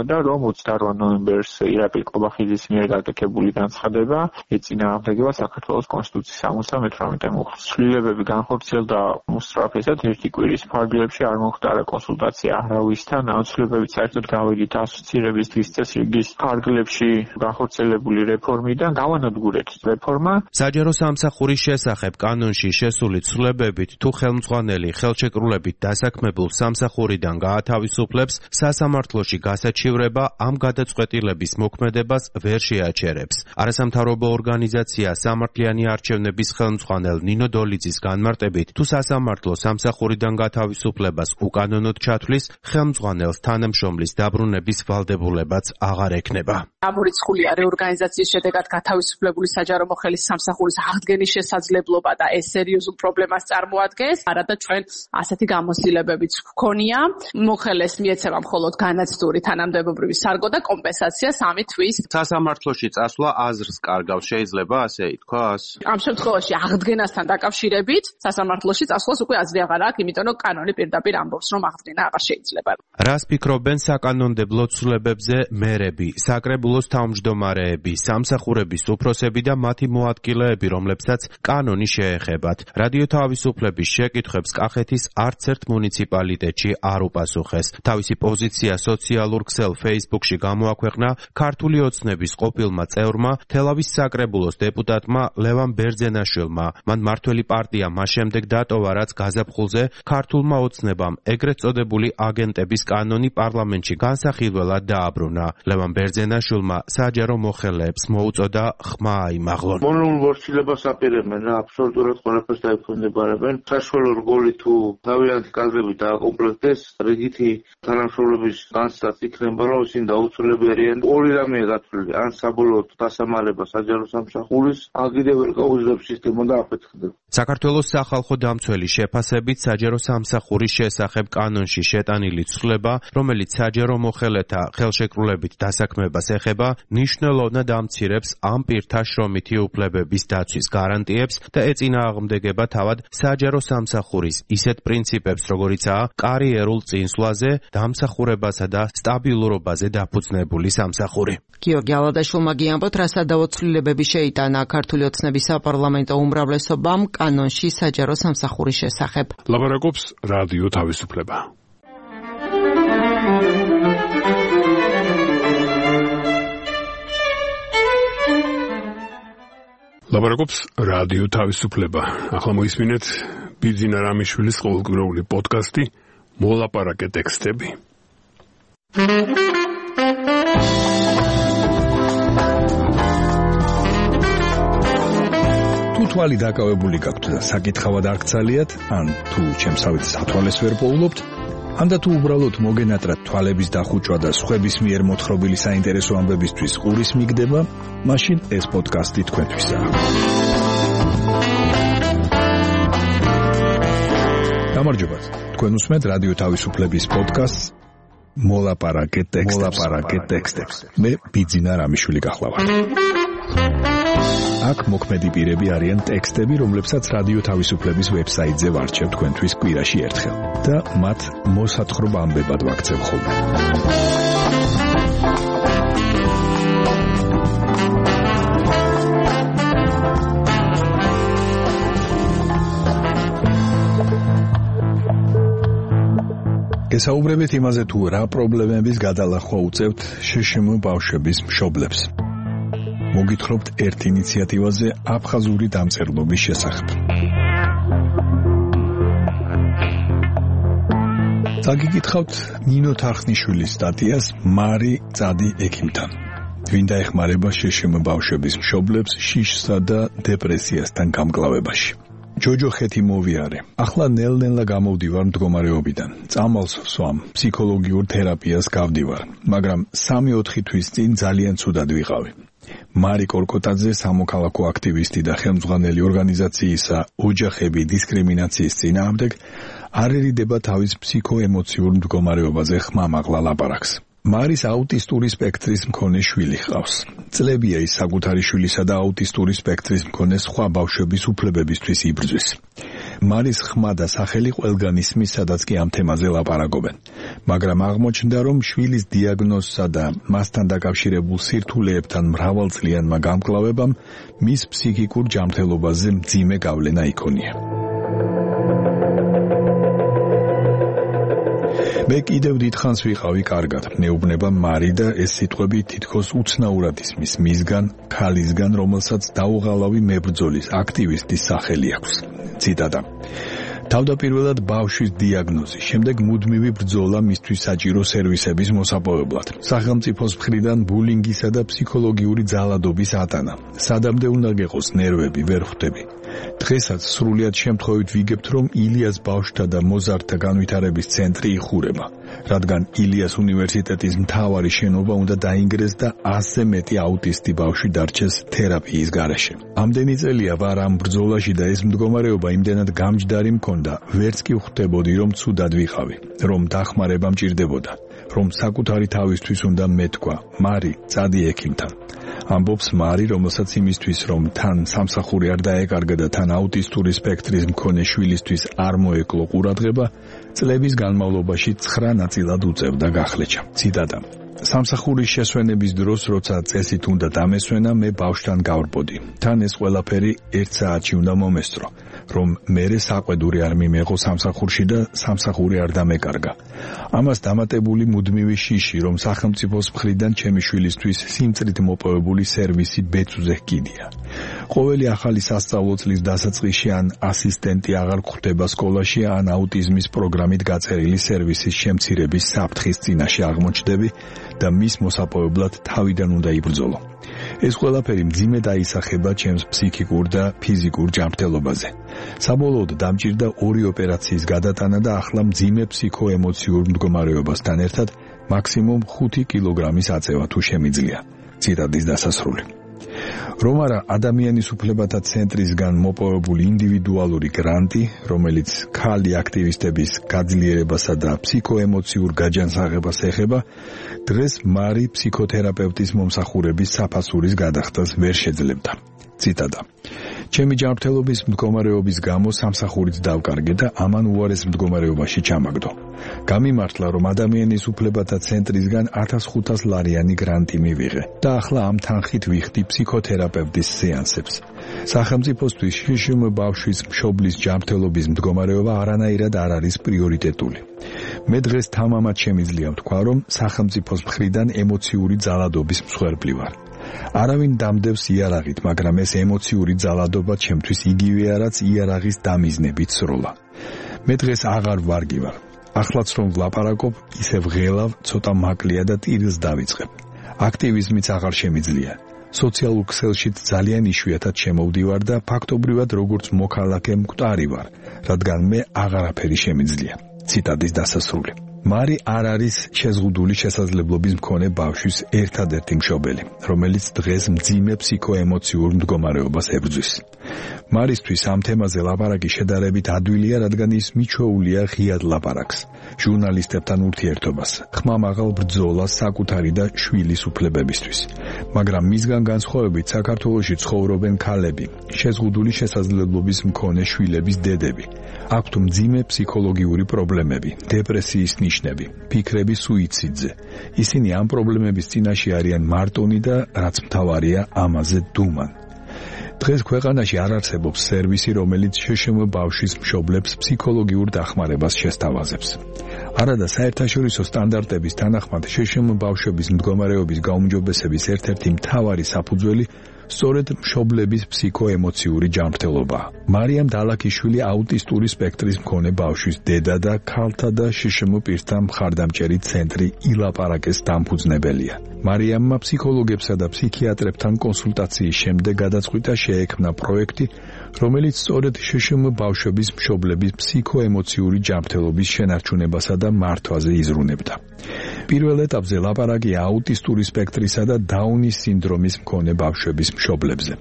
და რომ 28 ნოემბერს ირაკლი ყობახიძის მიერ გაკეთებული განცხადება ეწინააღმდეგება საქართველოს კონსტიტუციის 78 მუხლს. ცვლილებები განხორციელდა უსწრაფესად ერთი კვირის ფარგლებში არ მოხდარა კონსულტაცია არავისთან. ცვლილებები საერთოდ გავედით ასოცირების დღის წესრიგის ფარგლებში განხორციელებული რეფორმიდან გავანადგურეთ რეფორმა. საჯარო სამსახურის შესახებ კანონში შესული ცვლილებებით თუ ხელმძღვანელი ხელშეკრულებით დასაქმებულ სამსახურიდან გაათავისუფლებს, სასამართლოში გასაჩივრება ამ გადაწყვეტილების მოქმედებას ვერ შეაჩერებს. არასამთავრობო ორგანიზაცია სამართლიანი არჩევნების ხელმძღვანელ ნინო დოლიძის განმარტებით, თუ სასამართლო სამსახურიდან გათავისუფლებას უკანონოდ ჩათვლის, ხელმძღვანელს თანამშრომლის დაბრუნების ვალდებულებაც აღარ ექნება. ამორიცხულია რეორგანიზაციის შედეგად გათავისუფლებული საჯარო მოხელის სამსახურის აღდგენის შესაძლებლობა და ეს სერიოზულ პრობლემას წარმოადგენს. არადა ჩვენ ასეთი გამოცდილებებიც გვქონია. მოხელეს მიეცემა მხოლოდ განაცდური თანამდებობრივი სარგო და კომპენსაცია 3 თვის. სასამართლოში წასვლა აზრს კარგავს, შეიძლება ასე ითქვას? ამ შემთხვევაში აღდგენასთან დაკავშირებით სასამართლოში წასვლას უკვე აზრი აღარ აქვს, იმიტომ რომ კანონი პირდაპირ ამბობს, რომ აღდგენა აღარ შეიძლება. რას ფიქრობენ საკანონმდებლო ცვლილებებზე მერები, საკრებულოს თავმჯდომარეები, სამსახურების უფროსები და მათი მოადგილეები, რომლებსაც კანონი შეეხებათ? რადიო თავისუფლების შეკითხვებს კახეთის არც ერთ მუნიციპალიტეტში არ უპასუხეს. თავისი პოზიცია სოციალურ ქსელ Facebook-ში გამოაქვეყნა ქართული ოცნების ყოფილმა წევრმა, თელავის საკრებულოს დეპუტატმა ლევან ბერძენაშვილმა. მან მართველი პარტია მას შემდეგ დატოვა, რაც გაზაფხულზე ქართულმა ოცნებამ ეგრეთ წოდებული აგენტების კანონი პარლამენტში განსახილველად დააბრუნა. ლევან ბერძენაშვილმა საჯარო მოხელეებს მოუწოდა ხმა აიმაღლონ. მონოლ ვორჩილებას აპირებენ რა, აბსოლუტურად ყველაფერს დაიფონდებარებენ. საშუალო რგოლი თუ თავიანთი კადრები დააკომპლექტდეს, რიგითი თანამშრომლების განცდაც იქნება, რომ ისინი დაუცველები არიან. ორი რამეა გათვლილი, ან საბოლოოდ დასამალება საჯარო სამსახურის, ან კიდევ ვერ გაუძლებს სისტემა და აფეთქდება. საქართველოს სახალხო დამცველი შეფასებით საჯარო სამსახურის შესახებ კანონში შეტანილი ცვლილება, რომელიც საჯარო მოხელეთა ხელშეკრულებით დასაქმებას ეხება, მნიშვნელოვნად ამცირებს ამ პირთა შრომითი უფლებების დაცვის გარანტიებს და ეწინააღმდეგება თავად საჯარო სამსახურის ისეთ პრინციპებს, როგორიცაა კარიერულ წინსვლაზე, დამსახურებასა და სტაბილურობაზე დაფუძნებული სამსახური. გიორგი ალადაშვილმა გიამბოთ, რა სადავო ცვლილებები შეიტანა ქართული ოცნების საპარლამენტო უმრავლესობამ კანონში საჯარო სამსახურის შესახებ. ლაპარაკობს რადიო თავისუფლება. ლაპარაკობს რადიო თავისუფლება. ახლა მოისმინეთ ბიძინა რამიშვილის ყოველკვირეული პოდკასტი მოლაპარაკე ტექსტები. თუ თვალი დაკავებული გაქვთ და საკითხავად არ გცალიათ, ან თუ ჩემსავით სათვალეს ვერ პოულობთ, ანდა თუ უბრალოდ მოგენატრათ თვალების დახუჭვა და სხვების მიერ მოთხრობილი საინტერესო ამბებისთვის ყურის მიგდება, მაშინ ეს პოდკასტი თქვენთვისაა. გამარჯობათ. თქვენ უსმენთ რადიო თავისუფლების პოდკასტს მოლაპარაკე ტექსტებს. მე ბიძინა რამიშვილი გახლავართ. აქ მოქმედი პირები არიან ტექსტები, რომლებსაც რადიო თავისუფლების ვებსაიტზე ვარჩევ თქვენთვის კვირაში ერთხელ და მათ მოსათხრობ ამბებად ვაქცევ ხოლმე. გესაუბრებით იმაზე, თუ რა პრობლემების გადალახვა უწევთ შშმ ბავშვების მშობლებს. მოგითხრობთ ერთ ინიციატივაზე აფხაზური დამწერლობის შესახებ. წაგიკითხავთ ნინო თარხნიშვილის სტატიას მარი წადი ექიმთან. ვინ დაეხმარება შშმ ბავშვების მშობლებს შიშსა და დეპრესიასთან გამკლავებაში. ჯოჯო ხეთი მოვიარე. ახლა ნელ-ნელა გამოვდივარ მდგომარეობიდან. წამალს ვსვამ, ფსიქოლოგიურ თერაპიას გავდივარ, მაგრამ 3-4 თვის წინ ძალიან ცუდად ვიყავი. მარი კორკოტაძე, სამოქალაქო აქტივისტი და ხელმძღვანელი ორგანიზაციისა ოჯახები დისკრიმინაციის წინააღმდეგ, არ ერიდება თავის ფსიქოემოციურ მდგომარეობაზე ხმამაღლა ლაპარაკს. მარის აუტისტური სპექტრის მქონე შვილი ჰყავს. წლებია ის საკუთარი შვილისა და აუტისტური სპექტრის მქონე სხვა ბავშვების უფლებებისთვის იბრძვის. მარის ხმა და სახელი ყველგან ისმის, სადაც კი ამ თემაზე ლაპარაკობენ. მაგრამ აღმოჩნდა, რომ შვილის დიაგნოზსა და მასთან დაკავშირებულ სირთულეებთან მრავალწლიანმა გამკლავებამ მის ფსიქიკურ ჯანმრთელობაზე მძიმე გავლენა იქონია. მე კიდევ დიდხანს ვიყავი კარგად, მეუბნება მარი და ეს სიტყვები თითქოს უცნაურად ისმის მისგან, ქალისგან, რომელსაც დაუღალავი მებრძოლის, აქტივისტის სახელი აქვს. ციტატა. თავდაპირველად ბავშვის დიაგნოზი, შემდეგ მუდმივი ბრძოლა მისთვის საჭირო სერვისების მოსაპოვებლად. სახელმწიფოს მხრიდან ბულინგისა და ფსიქოლოგიური ძალადობის ატანა. სადამდე უნდა გეყოს ნერვები, ვერ ხვდები. დღესაც სრულიად შემთხვევით ვიგებთ, რომ ილიას ბავშვთა და მოზარდთა განვითარების ცენტრი იხურება, რადგან ილიას უნივერსიტეტის მთავარი შენობა უნდა დაინგრეს და 100-ზე მეტი აუტისტი ბავშვი დარჩეს თერაპიის გარეშე. ამდენი წელია ვარ ამ ბრძოლაში და ეს მდგომარეობა იმდენად გამჯდარი მქონდა, ვერც კი ვხვდებოდი, რომ ცუდად ვიყავი, რომ დახმარება მჭირდებოდა, რომ საკუთარი თავისთვის უნდა მეთქვა, მარი, წადი ექიმთან. ამბობს მარი, რომელსაც იმისთვის, რომ თან სამსახური არ დაეკარგა და თან აუტისტური სპექტრის მქონე შვილისთვის არ მოეკლო ყურადღება, წლების განმავლობაში 9 ნაწილად უწევდა გახლეჩა. ციტატა. სამსახურის შესვენების დროს, როცა წესით უნდა დამესვენა, მე ბავშვთან გავრბოდი. თან ეს ყველაფერი 1 საათში უნდა მომესწრო, რომ მერე საყვედური არ მიმეღო სამსახურში და სამსახური არ დამეკარგა. ამას დამატებული მუდმივი შიში, რომ სახელმწიფოს მხრიდან ჩემი შვილისთვის სიმწრით მოპოვებული სერვისი ბეწვზე ჰკიდია. ყოველი ახალი სასწავლო წლის დასაწყისში ან ასისტენტი აღარ გვხვდება სკოლაში, ან აუტიზმის პროგრამით გაწერილი სერვისის შემცირების საფრთხის წინაშე აღმოჩნდები და მის მოსაპოვებლად თავიდან უნდა იბრძოლო. ეს ყველაფერი მძიმე დაისახება ჩემს ფსიქიკურ და ფიზიკურ ჯანმრთელობაზე. საბოლოოდ დამჭირდა 2 ოპერაციის გადატანა და ახლა მძიმე ფსიქოემოციურ მდგომარეობასთან ერთად მაქსიმუმ 5 კილოგრამის აწევა თუ შემიძლია. ციტატის დასასრული. რომ არა ადამიანის უფლებათა ცენტრისგან მოპოვებული ინდივიდუალური გრანტი, რომელიც ქალი აქტივისტების გაძლიერებასა და ფსიქოემოციურ გაჯანსაღებას ეხება, დღეს მარი ფსიქოთერაპევტის მომსახურების საფასურის გადახდას ვერ შეძლებდა. ციტატა. ჩემი ჯანმრთელობის მდგომარეობის გამო სამსახურიც დავკარგე და ამან უარეს მდგომარეობაში ჩამაგდო. გამიმართლა, რომ ადამიანის უფლებათა ცენტრისგან 1500 ლარიანი გრანტი მივიღე და ახლა ამ თანხით ვიხდი ფსიქოთერაპევტის სეანსებს. სახელმწიფოსთვის შშმ ბავშვის მშობლის ჯანმრთელობის მდგომარეობა არანაირად არ არის პრიორიტეტული. მე დღეს თამამად შემიძლია ვთქვა, რომ სახელმწიფოს მხრიდან ემოციური ძალადობის მსხვერპლი ვარ. არავინ დამდევს იარაღით, მაგრამ ეს ემოციური ძალადობა ჩემთვის იგივეა, რაც იარაღის დამიზნებით სროლა. მე დღეს აღარ ვარგი ვარ. ახლაც რომ ვლაპარაკობ, ისევ ღელავ, ცოტა მაკლია და ტირილს დავიწყებ. აქტივიზმიც აღარ შემიძლია. სოციალურ ქსელშიც ძალიან იშვიათად შემოვდივარ და ფაქტობრივად როგორც მოქალაქე მკვდარი ვარ, რადგან მე აღარაფერი შემიძლია. ციტატის დასასრული. მარი არ არის შეზღუდული შესაძლებლობის მქონე ბავშვის ერთადერთი მშობელი, რომელიც დღეს მძიმე ფსიქოემოციურ მდგომარეობას ებრძვის. მარისთვის ამ თემაზე ლაპარაკი შედარებით ადვილია, რადგან ის მიჩვეულია ღიად ლაპარაკს, ჟურნალისტებთან ურთიერთობას, ხმამაღალ ბრძოლას საკუთარი და შვილის უფლებებისთვის. მაგრამ მისგან განსხვავებით საქართველოში ცხოვრობენ ქალები, შეზღუდული შესაძლებლობის მქონე შვილების დედები. აქვთ მძიმე ფსიქოლოგიური პრობლემები, დეპრესიის ნიშნები, ფიქრები სუიციდზე. ისინი ამ პრობლემების წინაშე არიან მარტონი და რაც მთავარია, ამაზე დუმან. დღეს ქვეყანაში არ არსებობს სერვისი, რომელიც შშმ ბავშვის მშობლებს ფსიქოლოგიურ დახმარებას შესთავაზებს. არადა საერთაშორისო სტანდარტების თანახმად შშმ ბავშვების მდგომარეობის გაუმჯობესების ერთ-ერთი მთავარი საფუძველი სწორედ მშობლების ფსიქოემოციური ჯანმრთელობაა. მარიამ დალაქიშვილი აუტისტური სპექტრის მქონე ბავშვის დედა და ქალთა და შშმ პირთა მხარდამჭერი ცენტრი ილაპარაკეს დამფუძნებელია. მარიამმა ფსიქოლოგებსა და ფსიქიატრებთან კონსულტაციის შემდეგ გადაწყვიტა შეექმნა პროექტი, რომელიც სწორედ შშმ ბავშვების მშობლების ფსიქოემოციური ჯანმრთელობის შენარჩუნებასა და მართვაზე იზრუნებდა. პირველ ეტაპზე ლაპარაკი აუტისტური სპექტრისა და დაუნის სინდრომის მქონე ბავშვების მშობლებზე.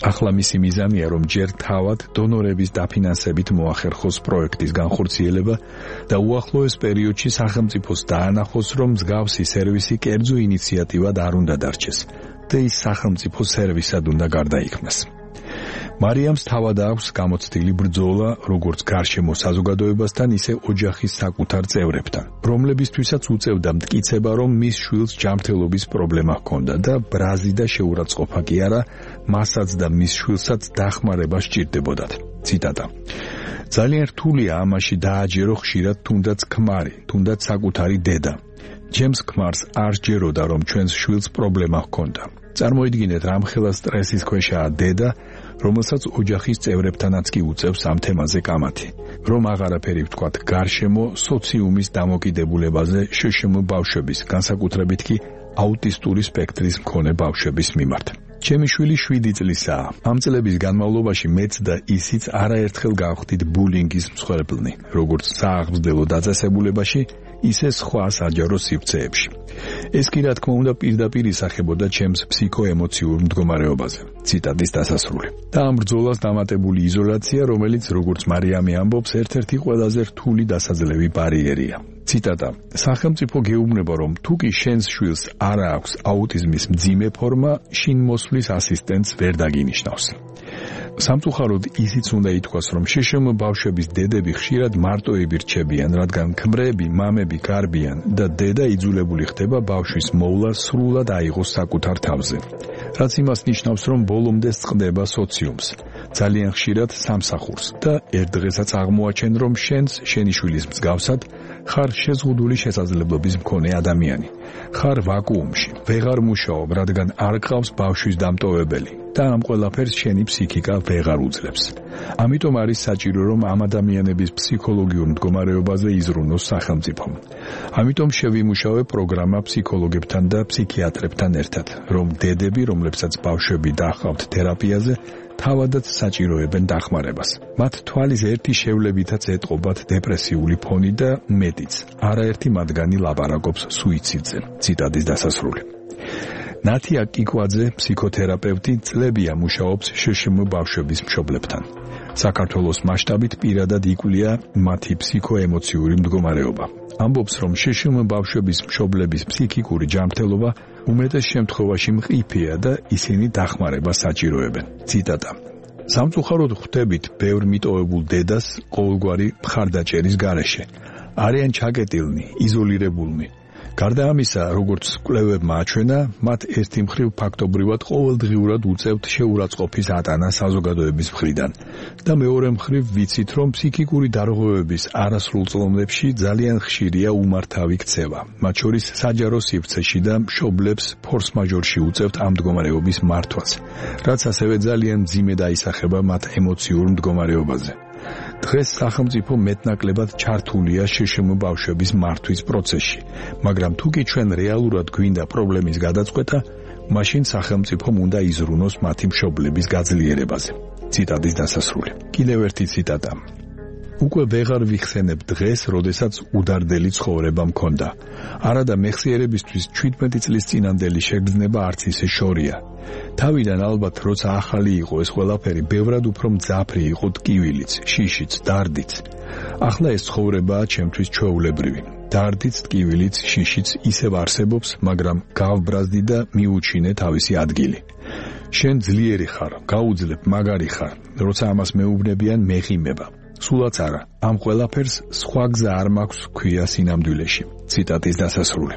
ახლა მისი მიზანია, რომ ჯერ თავად დონორების დაფინანსებით მოახერხოს პროექტის განხორციელება და უახლოეს პერიოდში სახელმწიფოს დაანახოს, რომ მსგავსი სერვისი კერძო ინიციატივად არ უნდა დარჩეს და ის სახელმწიფო სერვისად უნდა გარდაიქმნას. მარიამს თავად აქვს გამოცდილი ბრძოლა როგორც გარშემო საზოგადოებასთან, ისე ოჯახის საკუთარ წევრებთან, რომლებისთვისაც უწევდა მტკიცება, რომ მის შვილს ჯანმრთელობის პრობლემა ჰქონდა და ბრაზი და შეურაცხყოფა კი არა, მასაც და მის შვილსაც დახმარება სჭირდებოდათ. ციტატა. ძალიან რთულია ამაში დააჯერო ხშირად თუნდაც ქმარი, თუნდაც საკუთარი დედა. ჩემს ქმარს არ სჯეროდა, რომ ჩვენს შვილს პრობლემა ჰქონდა. წარმოიდგინეთ, რამხელა სტრესის ქვეშაა დედა, რომელსაც ოჯახის წევრებთანაც კი უწევს ამ თემაზე კამათი. რომ აღარაფერი ვთქვათ გარშემო სოციუმის დამოკიდებულებაზე შშმ ბავშვების, განსაკუთრებით კი აუტისტური სპექტრის მქონე ბავშვების მიმართ. ჩემი შვილი 7 წლისაა. ამ წლების განმავლობაში მეც და ისიც არაერთხელ გავხდით ბულინგის მსხვერპლნი, როგორც სააღმძდელო დაწესებულებაში, ისე სხვა საჯარო სივრცეებში. ეს კი რა თქმა უნდა პირდაპირ ისახებოდა ჩემს ფსიქოემოციურ მდგომარეობაზე. ციტატის დასასრული. და ამ ბრძოლას დამატებული იზოლაცია, რომელიც როგორც მარიამი ამბობს, ერთ-ერთი ყველაზე რთული დასაძლევი ბარიერია. ციტატა. სახელმწიფო გეუბნება, რომ თუ კი შენს შვილს არ აქვს აუტიზმის მძიმე ფორმა, შინ მოსვლის ასისტენტს ვერ დაგინიშნავს. სამწუხაროდ ისიც უნდა ითქვას, რომ შშმ ბავშვების დედები ხშირად მარტოები რჩებიან, რადგან ქმრები, მამები გარბიან და დედა იძულებული ხდება ბავშვის მოვლა სრულად აიღოს საკუთარ თავზე. რაც იმას ნიშნავს, რომ ბოლომდე წყდება სოციუმს, ძალიან ხშირად სამსახურს და ერთ დღესაც აღმოაჩენ, რომ შენს შენი შვილის მსგავსად ხარ შეზღუდული შესაძლებლობის მქონე ადამიანი. ხარ ვაკუუმში, ვეღარ მუშაობ, რადგან არ გყავს ბავშვის დამტოვებელი და ამ ყველაფერს შენი ფსიქიკა ვეღარ უძლებს. ამიტომ არის საჭირო, რომ ამ ადამიანების ფსიქოლოგიურ მდგომარეობაზე იზრუნოს სახელმწიფომ. ამიტომ შევიმუშავე პროგრამა ფსიქოლოგებთან და ფსიქიატრებთან ერთად, რომ დედები, რომლებსაც ბავშვები დაჰყავთ თერაპიაზე, თავადაც საჭიროებენ დახმარებას. მათ თვალის ერთი შევლებითაც ეტყობათ დეპრესიული ფონი და მეტიც. არაერთი მათგანი ლაპარაკობს სუიციდზე. ციტატის დასასრული. ნათია კიკვაძე, ფსიქოთერაპევტი, წლებია მუშაობს შშმ ბავშვების მშობლებთან. საქართველოს მასშტაბით პირადად იკვლია მათი ფსიქოემოციური მდგომარეობა. ამბობს, რომ შშმ ბავშვების მშობლების ფსიქიკური ჯანმრთელობა უმეტეს შემთხვევაში მყიფეა და ისინი დახმარებას საჭიროებენ. ციტატა. სამწუხაროდ ხვდებით ბევრ მიტოვებულ დედას ყოველგვარი მხარდაჭერის გარეშე. არიან ჩაკეტილნი, იზოლირებულნი. გარდა ამისა, როგორც კვლევებმა აჩვენა, მათ ერთი მხრივ ფაქტობრივად ყოველდღიურად უწევთ შეურაცხყოფის ატანა საზოგადოების მხრიდან და მეორე მხრივ ვიცით, რომ ფსიქიკური დარღვევების არასრულ წლომდებში ძალიან ხშირია უმართავი ქცევა, მათ შორის საჯარო სივრცეში და მშობლებს ფორს-მაჟორში უწევთ ამ მდგომარეობის მართვას, რაც ასევე ძალიან მძიმე დაისახება მათ ემოციურ მდგომარეობაზე. დღეს სახელმწიფო მეტნაკლებად ჩართულია შშმ ბავშვების მართვის პროცესში, მაგრამ თუ კი ჩვენ რეალურად გვინდა პრობლემის გადაწყვეტა, მაშინ სახელმწიფომ უნდა იზრუნოს მათი მშობლების გაძლიერებაზე. ციტატის დასასრული. კიდევ ერთი ციტატა. უკვე ვეღარ ვიხსენებ დღეს, როდესაც უდარდელი ცხოვრება მქონდა. არადა მეხსიერებისთვის 17 წლის წინანდელი შეგრძნება არც ისე შორია. თავიდან ალბათ როცა ახალი იყო ეს ყველაფერი, ბევრად უფრო მძაფრი იყო ტკივილიც, შიშიც, დარდიც. ახლა ეს ცხოვრებაა ჩემთვის ჩვეულებრივი. დარდიც, ტკივილიც, შიშიც ისევ არსებობს, მაგრამ გავბრაზდი და მიუჩინე თავისი ადგილი. შენ ძლიერი ხარ, გაუძლებ, მაგარი ხარ, როცა ამას მეუბნებიან მეღიმება. სულაც არა, ამ ყველაფერს სხვა გზა არ მაქვს ქვია სინამდვილეში. ციტატის დასასრული.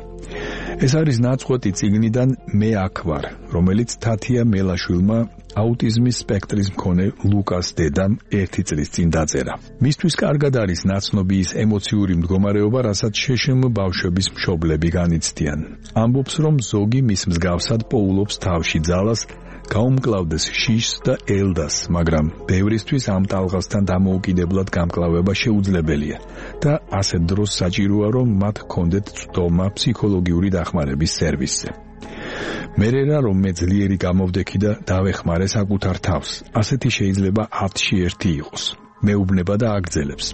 ეს არის ნაწყვეტი წიგნიდან მე აქ ვარ, რომელიც თათია მელაშვილმა აუტიზმის სპექტრის მქონე ლუკას დედამ 1 წლის წინ დაწერა. მისთვის კარგად არის ნაცნობი ის ემოციური მდგომარეობა, რასაც შშმ ბავშვების მშობლები განიცდიან. ამბობს, რომ ზოგი მის მსგავსად პოულობს თავში ძალას, გაუმკლავდეს შიშს და ელდას, მაგრამ ბევრისთვის ამ ტალღასთან დამოუკიდებლად გამკლავება შეუძლებელია და ასეთ დროს საჭიროა, რომ მათ ჰქონდეთ წვდომა ფსიქოლოგიური დახმარების სერვისზე. მერერა რომ მე ძლიერი გამოვდექი და დავეხმარე საკუთარ თავს, ასეთი შეიძლება 10-ში 1 იყოს. მეუბნება და აგრძელებს.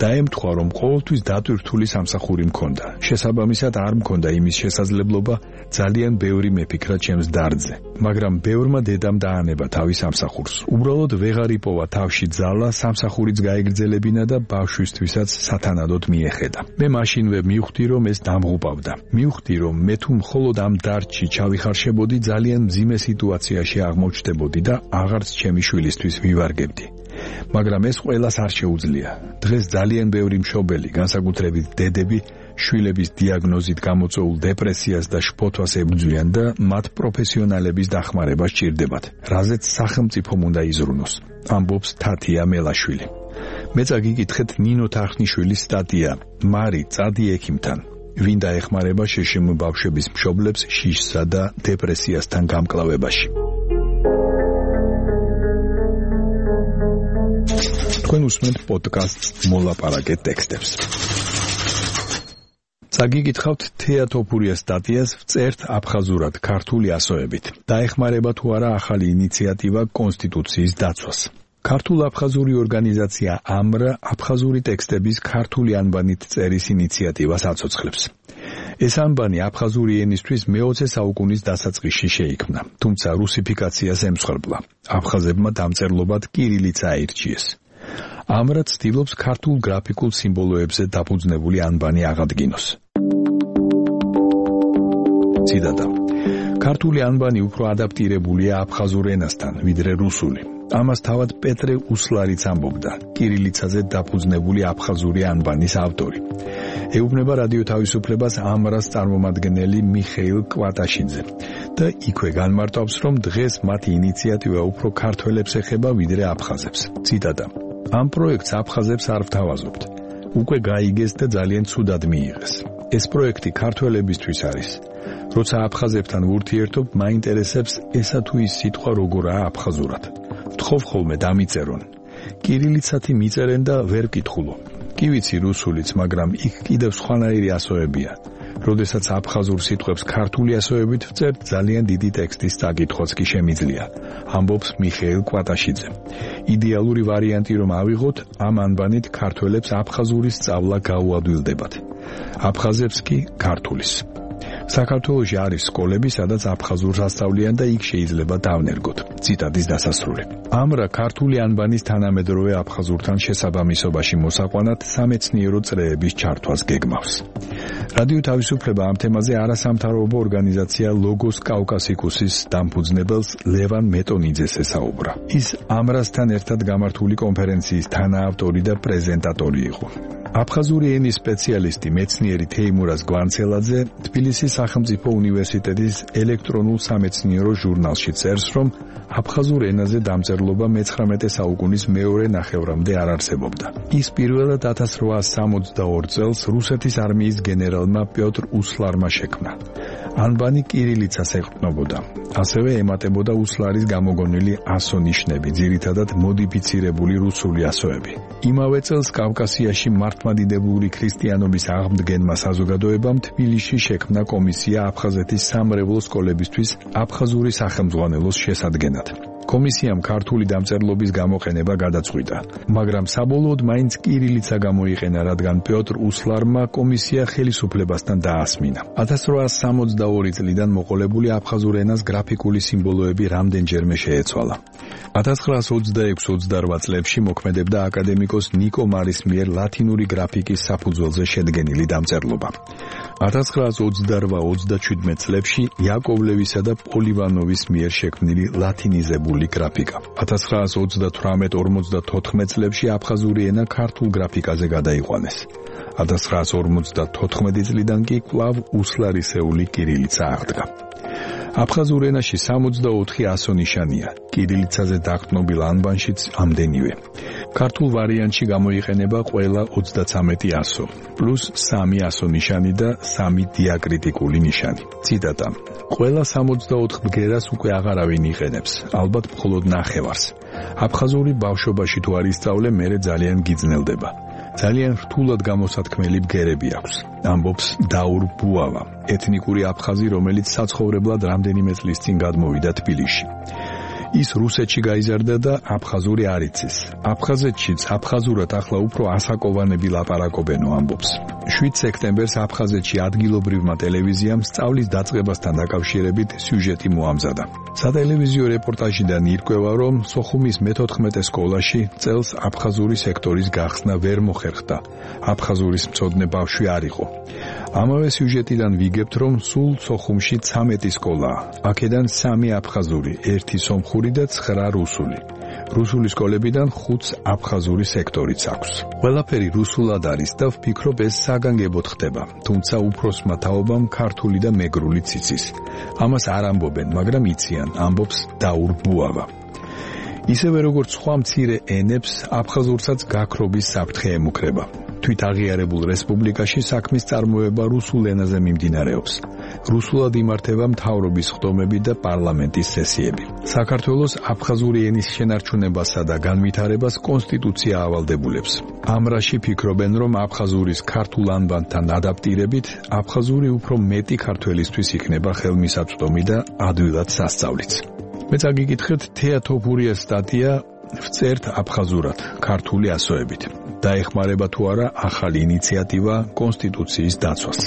დაემთხვა, რომ ყოველთვის დატვირთული სამსახური მქონდა. შესაბამისად არ მქონდა იმის შესაძლებლობა ძალიან ბევრი მეფიქრა ჩემს დარდზე. მაგრამ ბევრმა დედამ დაანება თავის სამსახურს. უბრალოდ ვეღარ იპოვა თავში ძალა სამსახურიც გაეგრძელებინა და ბავშვისთვისაც სათანადოდ მიეხედა. მე მაშინვე მივხვდი, რომ ეს დამღუპავდა. მივხვდი, რომ მე თუ მხოლოდ ამ დარდში ჩავიხარშებოდი, ძალიან მძიმე სიტუაციაში აღმოჩნდებოდი და აღარც ჩემი შვილისთვის ვივარგებდი. მაგრამ ეს ყველას არ შეუძლია. დღეს ძალიან ბევრი მშობელი, განსაკუთრებით დედები, შვილების დიაგნოზით გამოწვეულ დეპრესიას და შფოთვას ებრძვიან და მათ პროფესიონალების დახმარება სჭირდებათ, რაზეც სახელმწიფომ უნდა იზრუნოს, ამბობს თათია მელაშვილი. მეც აგიკითხეთ ნინო თარხნიშვილის სტატია „მარი, წადი ექიმთან“, ვინ დაეხმარება შშმ ბავშვების მშობლებს შიშსა და დეპრესიასთან გამკლავებაში. თქვენ უსმენთ პოდკასტს მოლაპარაკე ტექსტებს. წაგიკითხავთ თეა თოფურიას სტატიას „ვწერთ აფხაზურად ქართული ასოებით“. დაეხმარება თუ არა ახალი ინიციატივა კონსტიტუციის დაცვას. ქართულ-აფხაზური ორგანიზაცია ამრა აფხაზური ტექსტების ქართული ანბანით წერის ინიციატივას აცოცხლებს. ეს ანბანი აფხაზური ენისთვის მე-20 საუკუნის დასაწყისში შეიქმნა, თუმცა რუსიფიკაციას ემსხვერპლა. აფხაზებმა დამწერლობად კირილიცა აირჩიეს. ამრა ცდილობს ქართულ გრაფიკულ სიმბოლოებზე დაფუძნებული ანბანი აღადგინოს. ციტატა. ქართული ანბანი უფრო ადაპტირებულია აფხაზურ ენასთან, ვიდრე რუსული. ამას თავად პეტრე უსლარიც ამბობდა, კირილიცაზე დაფუძნებული აფხაზური ანბანის ავტორი. ეუბნება რადიო თავისუფლებას ამრას წარმომადგენელი მიხეილ კვატაშიძე და იქვე განმარტავს, რომ დღეს მათი ინიციატივა უფრო ქართველებს ეხება, ვიდრე აფხაზებს. ციტატა. ამ პროექტს აფხაზებს არ ვთავაზობთ. უკვე გაიგეს და ძალიან ცუდად მიიღეს. ეს პროექტი ქართველებისთვის არის. როცა აფხაზებთან ვურთიერთობ, მაინტერესებს ესა თუ ის სიტყვა როგორაა აფხაზურად. ვთხოვ ხოლმე დამიწერონ. კირილიცათი მიწერენ და ვერ ვკითხულობ. კი ვიცი რუსულიც, მაგრამ იქ კიდევ სხვანაირი ასოებია. როდესაც აფხაზურ სიტყვებს ქართული ასოებით ვწერთ, ძალიან დიდი ტექსტის წაკითხვაც კი შემიძლია, ამბობს მიხეილ კვატაშიძე. იდეალური ვარიანტი რომ ავიღოთ, ამ ანბანით ქართველებს აფხაზურის სწავლა გაუადვილდებათ. აფხაზებს კი ქართულის. საქართველოში არის სკოლები, სადაც აფხაზურს ასწავლიან და იქ შეიძლება დავნერგოთ. ციტატის დასასრული. ამრა ქართული ანბანის თანამედროვე აფხაზურთან შესაბამისობაში მოსაყვანად სამეცნიერო წრეების ჩართვას გეგმავს. რადიო თავისუფლება ამ თემაზე არასამთავრობო ორგანიზაცია ლოგოს კავკასიკუსის დამფუძნებელს ლევან მეტონიძეს ესაუბრა. ის ამრასთან ერთად გამართული კონფერენციის თანაავტორი და პრეზენტატორი იყო. აფხაზური ენის სპეციალისტი მეცნიერი თეიმურაზ გვანცელაძე თბილისის სახელმწიფო უნივერსიტეტის ელექტრონულ სამეცნიერო ჟურნალში წერს, რომ აფხაზურ ენაზე დამწერლობა მე-19 საუკუნის მეორე ნახევრამდე არ არსებობდა. ის პირველად 1862 წელს რუსეთის არმიის გენერალმა პიოტრ უსლარმა შექმნა. ანბანი კირილიცას ეყრდნობოდა. ასევე ემატებოდა უსლარის გამოგონილი ასო ნიშნები, ძირითადად მოდიფიცირებული რუსული ასოები. იმავე წელს კავკასიაში მართლმადიდებლური ქრისტიანობის აღმდგენმა საზოგადოებამ თბილისში შექმნა კომისია აფხაზეთის სამრევლო სკოლებისთვის აფხაზური სახელმძღვანელოს შესადგენად. კომისიამ ქართული დამწერლობის გამოყენება გადაწყვიტა, მაგრამ საბოლოოდ მაინც კირილიცა გამოიყენა, რადგან პიოტრ უსლარმა კომისია ხელისუფლებასთან დაასმინა. 1862 წლიდან მოყოლებული აფხაზურ ენას გრაფიკული სიმბოლოები რამდენჯერმე შეეცვალა. 1926-28 წლებში მოქმედებდა აკადემიკოს ნიკო მარის მიერ ლათინური გრაფიკის საფუძველზე შედგენილი დამწერლობა. 1928-37 წლებში იაკოვლევისა და პოლივანოვის მიერ შექმნილი ლათინიზებული გრაფიკა. 1938-54 წლებში აფხაზური ენა ქართულ გრაფიკაზე გადაიყვანეს. 1954 წლიდან კი კვლავ უსლარისეული კირილიცა აღდგა. აფხაზურ ენაში 64 ასო ნიშანია, კირილიცაზე დაყრდნობილ ანბანშიც ამდენივე. ქართულ ვარიანტში გამოიყენება ყველა 33 ასო, პლუს 3 ასო ნიშანი და 3 დიაკრიტიკული ნიშანი. ციტატა: ყველა 64 ბგერას უკვე აღარავინ იყენებს, ალბათ მხოლოდ ნახევარს. აფხაზური ბავშვობაში თუ არ ისწავლე, მერე ძალიან გიძნელდება. ძალიან რთულად გამოსათქმელი ბგერები აქვს, ამბობს დაურ ბუავა, ეთნიკური აფხაზი, რომელიც საცხოვრებლად რამდენიმე წლის წინ გადმოვიდა თბილისში. ის რუსეთში გაიზარდა და აფხაზური არ იცის. აფხაზეთშიც აფხაზურად ახლა უფრო ასაკოვანები ლაპარაკობენო, ამბობს. 7 სექტემბერს აფხაზეთში ადგილობრივმა ტელევიზიამ სწავლის დაწყებასთან დაკავშირებით სიუჟეტი მოამზადა. სატელევიზიო რეპორტაჟიდან ირკვევა, რომ სოხუმის მე-14 სკოლაში წელს აფხაზური სექტორის გახსნა ვერ მოხერხდა. აფხაზურის მცოდნე ბავშვი არ იყო. ამავე სიუჟეტიდან ვიგებთ, რომ სულ სოხუმში 13 სკოლაა. აქედან 3 აფხაზური, 1 სომხური და 9 რუსული. რუსული სკოლებიდან 5 აფხაზური სექტორიც აქვს. ყველაფერი რუსულად არის და ვფიქრობ ეს საგანგებოდ ხდება, თუმცა უფროსმა თაობამ ქართული და მეგრული ციცის. ამას არ ამბობენ, მაგრამ იციან, ამბობს დაურ ბუავა. ისევე როგორც სხვა მცირე ენებს, აფხაზურსაც გაქრობის საფრთხე ემუქრება. თვით აღიარებულ რესპუბლიკაში საქმის წარმოება რუსულ ენაზე მიმდინარეობს. რუსულად იმართება მთავრობის ხდომები და პარლამენტის სესიები. საქართველოს აფხაზური ენის შენარჩუნებასა და განვითარებას კონსტიტუცია ავალდებულებს. ამ რაში ფიქრობენ, რომ აფხაზურის ქართულ ანბანთან ადაპტირებით, აფხაზური უფრო მეტი ქართველისთვის იქნება ხელმისაწვდომი და ადვილად სასწავლიც. მეც აგიკითხეთ თეატოფურიას სტატია ვწერთ აფხაზურად, ქართული ასოებით. დაეხმარება თუ არა ახალი ინიციატივა კონსტიტუციის დაცვას.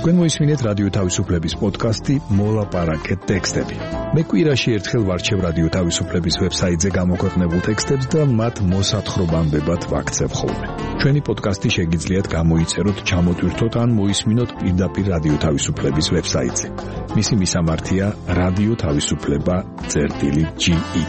თქვენ მოისმინეთ რადიო თავისუფლების პოდკასტი მოლაპარაკეთ ტექსტები. მე კვირაში ერთხელ ვარჩევ რადიო თავისუფლების ვებსაიტზე გამოქვეყნებულ ტექსტებს და მათ მოსათხრობამდებად ვაქცევ ხოლმე. ჩვენი პოდკასტი შეგიძლიათ გამოიწეროთ, ჩამოტვირთოთ ან მოისმინოთ პირდაპირ რადიო თავისუფლების ვებსაიტზე. მისი მისამართია რადიო თავისუფლება.ge.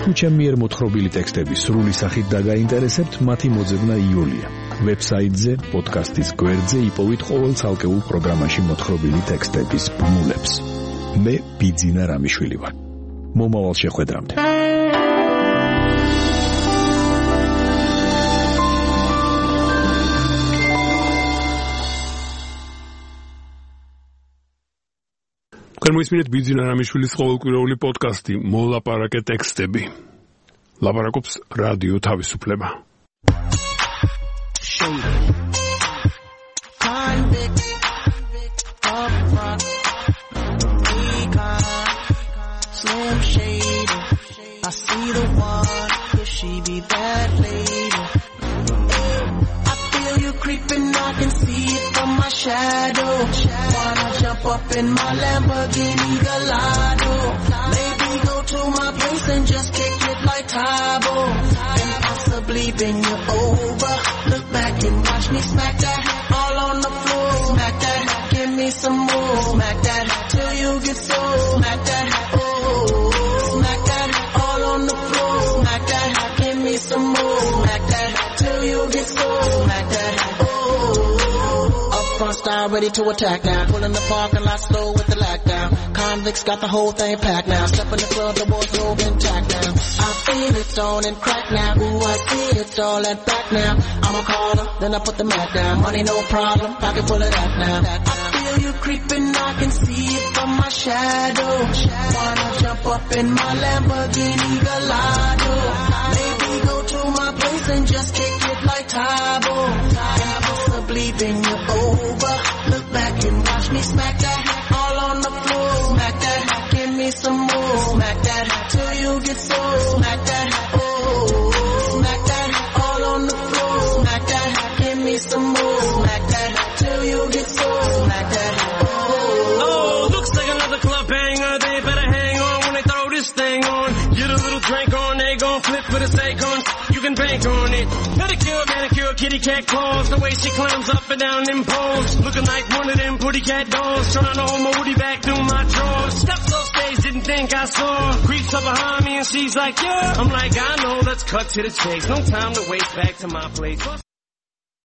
თუ ჩემი მიერ მოთხრობილი ტექსტები სრული სახით დაგაინტერესებთ, მათი მოძებნა იულია. ვებსაიტზე, პოდკასტის გვერდზე იპოვით ყოველ ცალკეულ პროგრამაში მოთხრობილი ტექსტების ბმულებს. მე ბიძინა რამიშვილი ვარ. მომავალ შეხვედრამდე. თქვენ მოისმინეთ ბიძინა რამიშვილის ყოველკვირეული პოდკასტი მოლაპარაკეთ ტექსტები. ლაპარაკობს რადიო თავისუფლება. I see the one, could she be that lady? I feel you creeping, I can see it from my shadow. Wanna jump up in my Lamborghini Gallardo? Maybe go to my place and just kick it like Tybo. And possibly bend you over. Look back and watch me smack that all on the floor. Smack that, give me some more. Smack that till you get sore. smack that. Oh, up front style ready to attack now. Pulling the parking lot slow with the lockdown. Convicts got the whole thing packed now. Step in the club, the wardrobe intact now. I feel it on and crack now. Ooh, I see it all and back now. I'm a caller, then I put the mat down. Money no problem, pocket full of that now. I feel you creeping, I can see it from my shadow. Wanna jump up in my Lamborghini Gallardo. Maybe go to my place and just kick it like Tybo. And possibly bend you over. Look back and watch me smack that all on the floor. Smack that, give me some more. Smack that till you get sore. Smack that, oh, smack that all on the floor. Smack that, give me some more. Smack that till you get sore. Smack that, oh, looks like another club banger. They better hang on when they throw this thing on. Get a little drink on, they gon' flip for the sake on. You can bank on it. Pedicure, manicure, kitty cat claws. The way she climbs up and down them poles. Looking like one of them pretty cat dolls. Trying to hold my woody back through my drawers. Steps off stage, didn't think I saw. Creeps up behind me and she's like, yeah. I'm like, I know, let's cut to the chase. No time to waste, back to my place.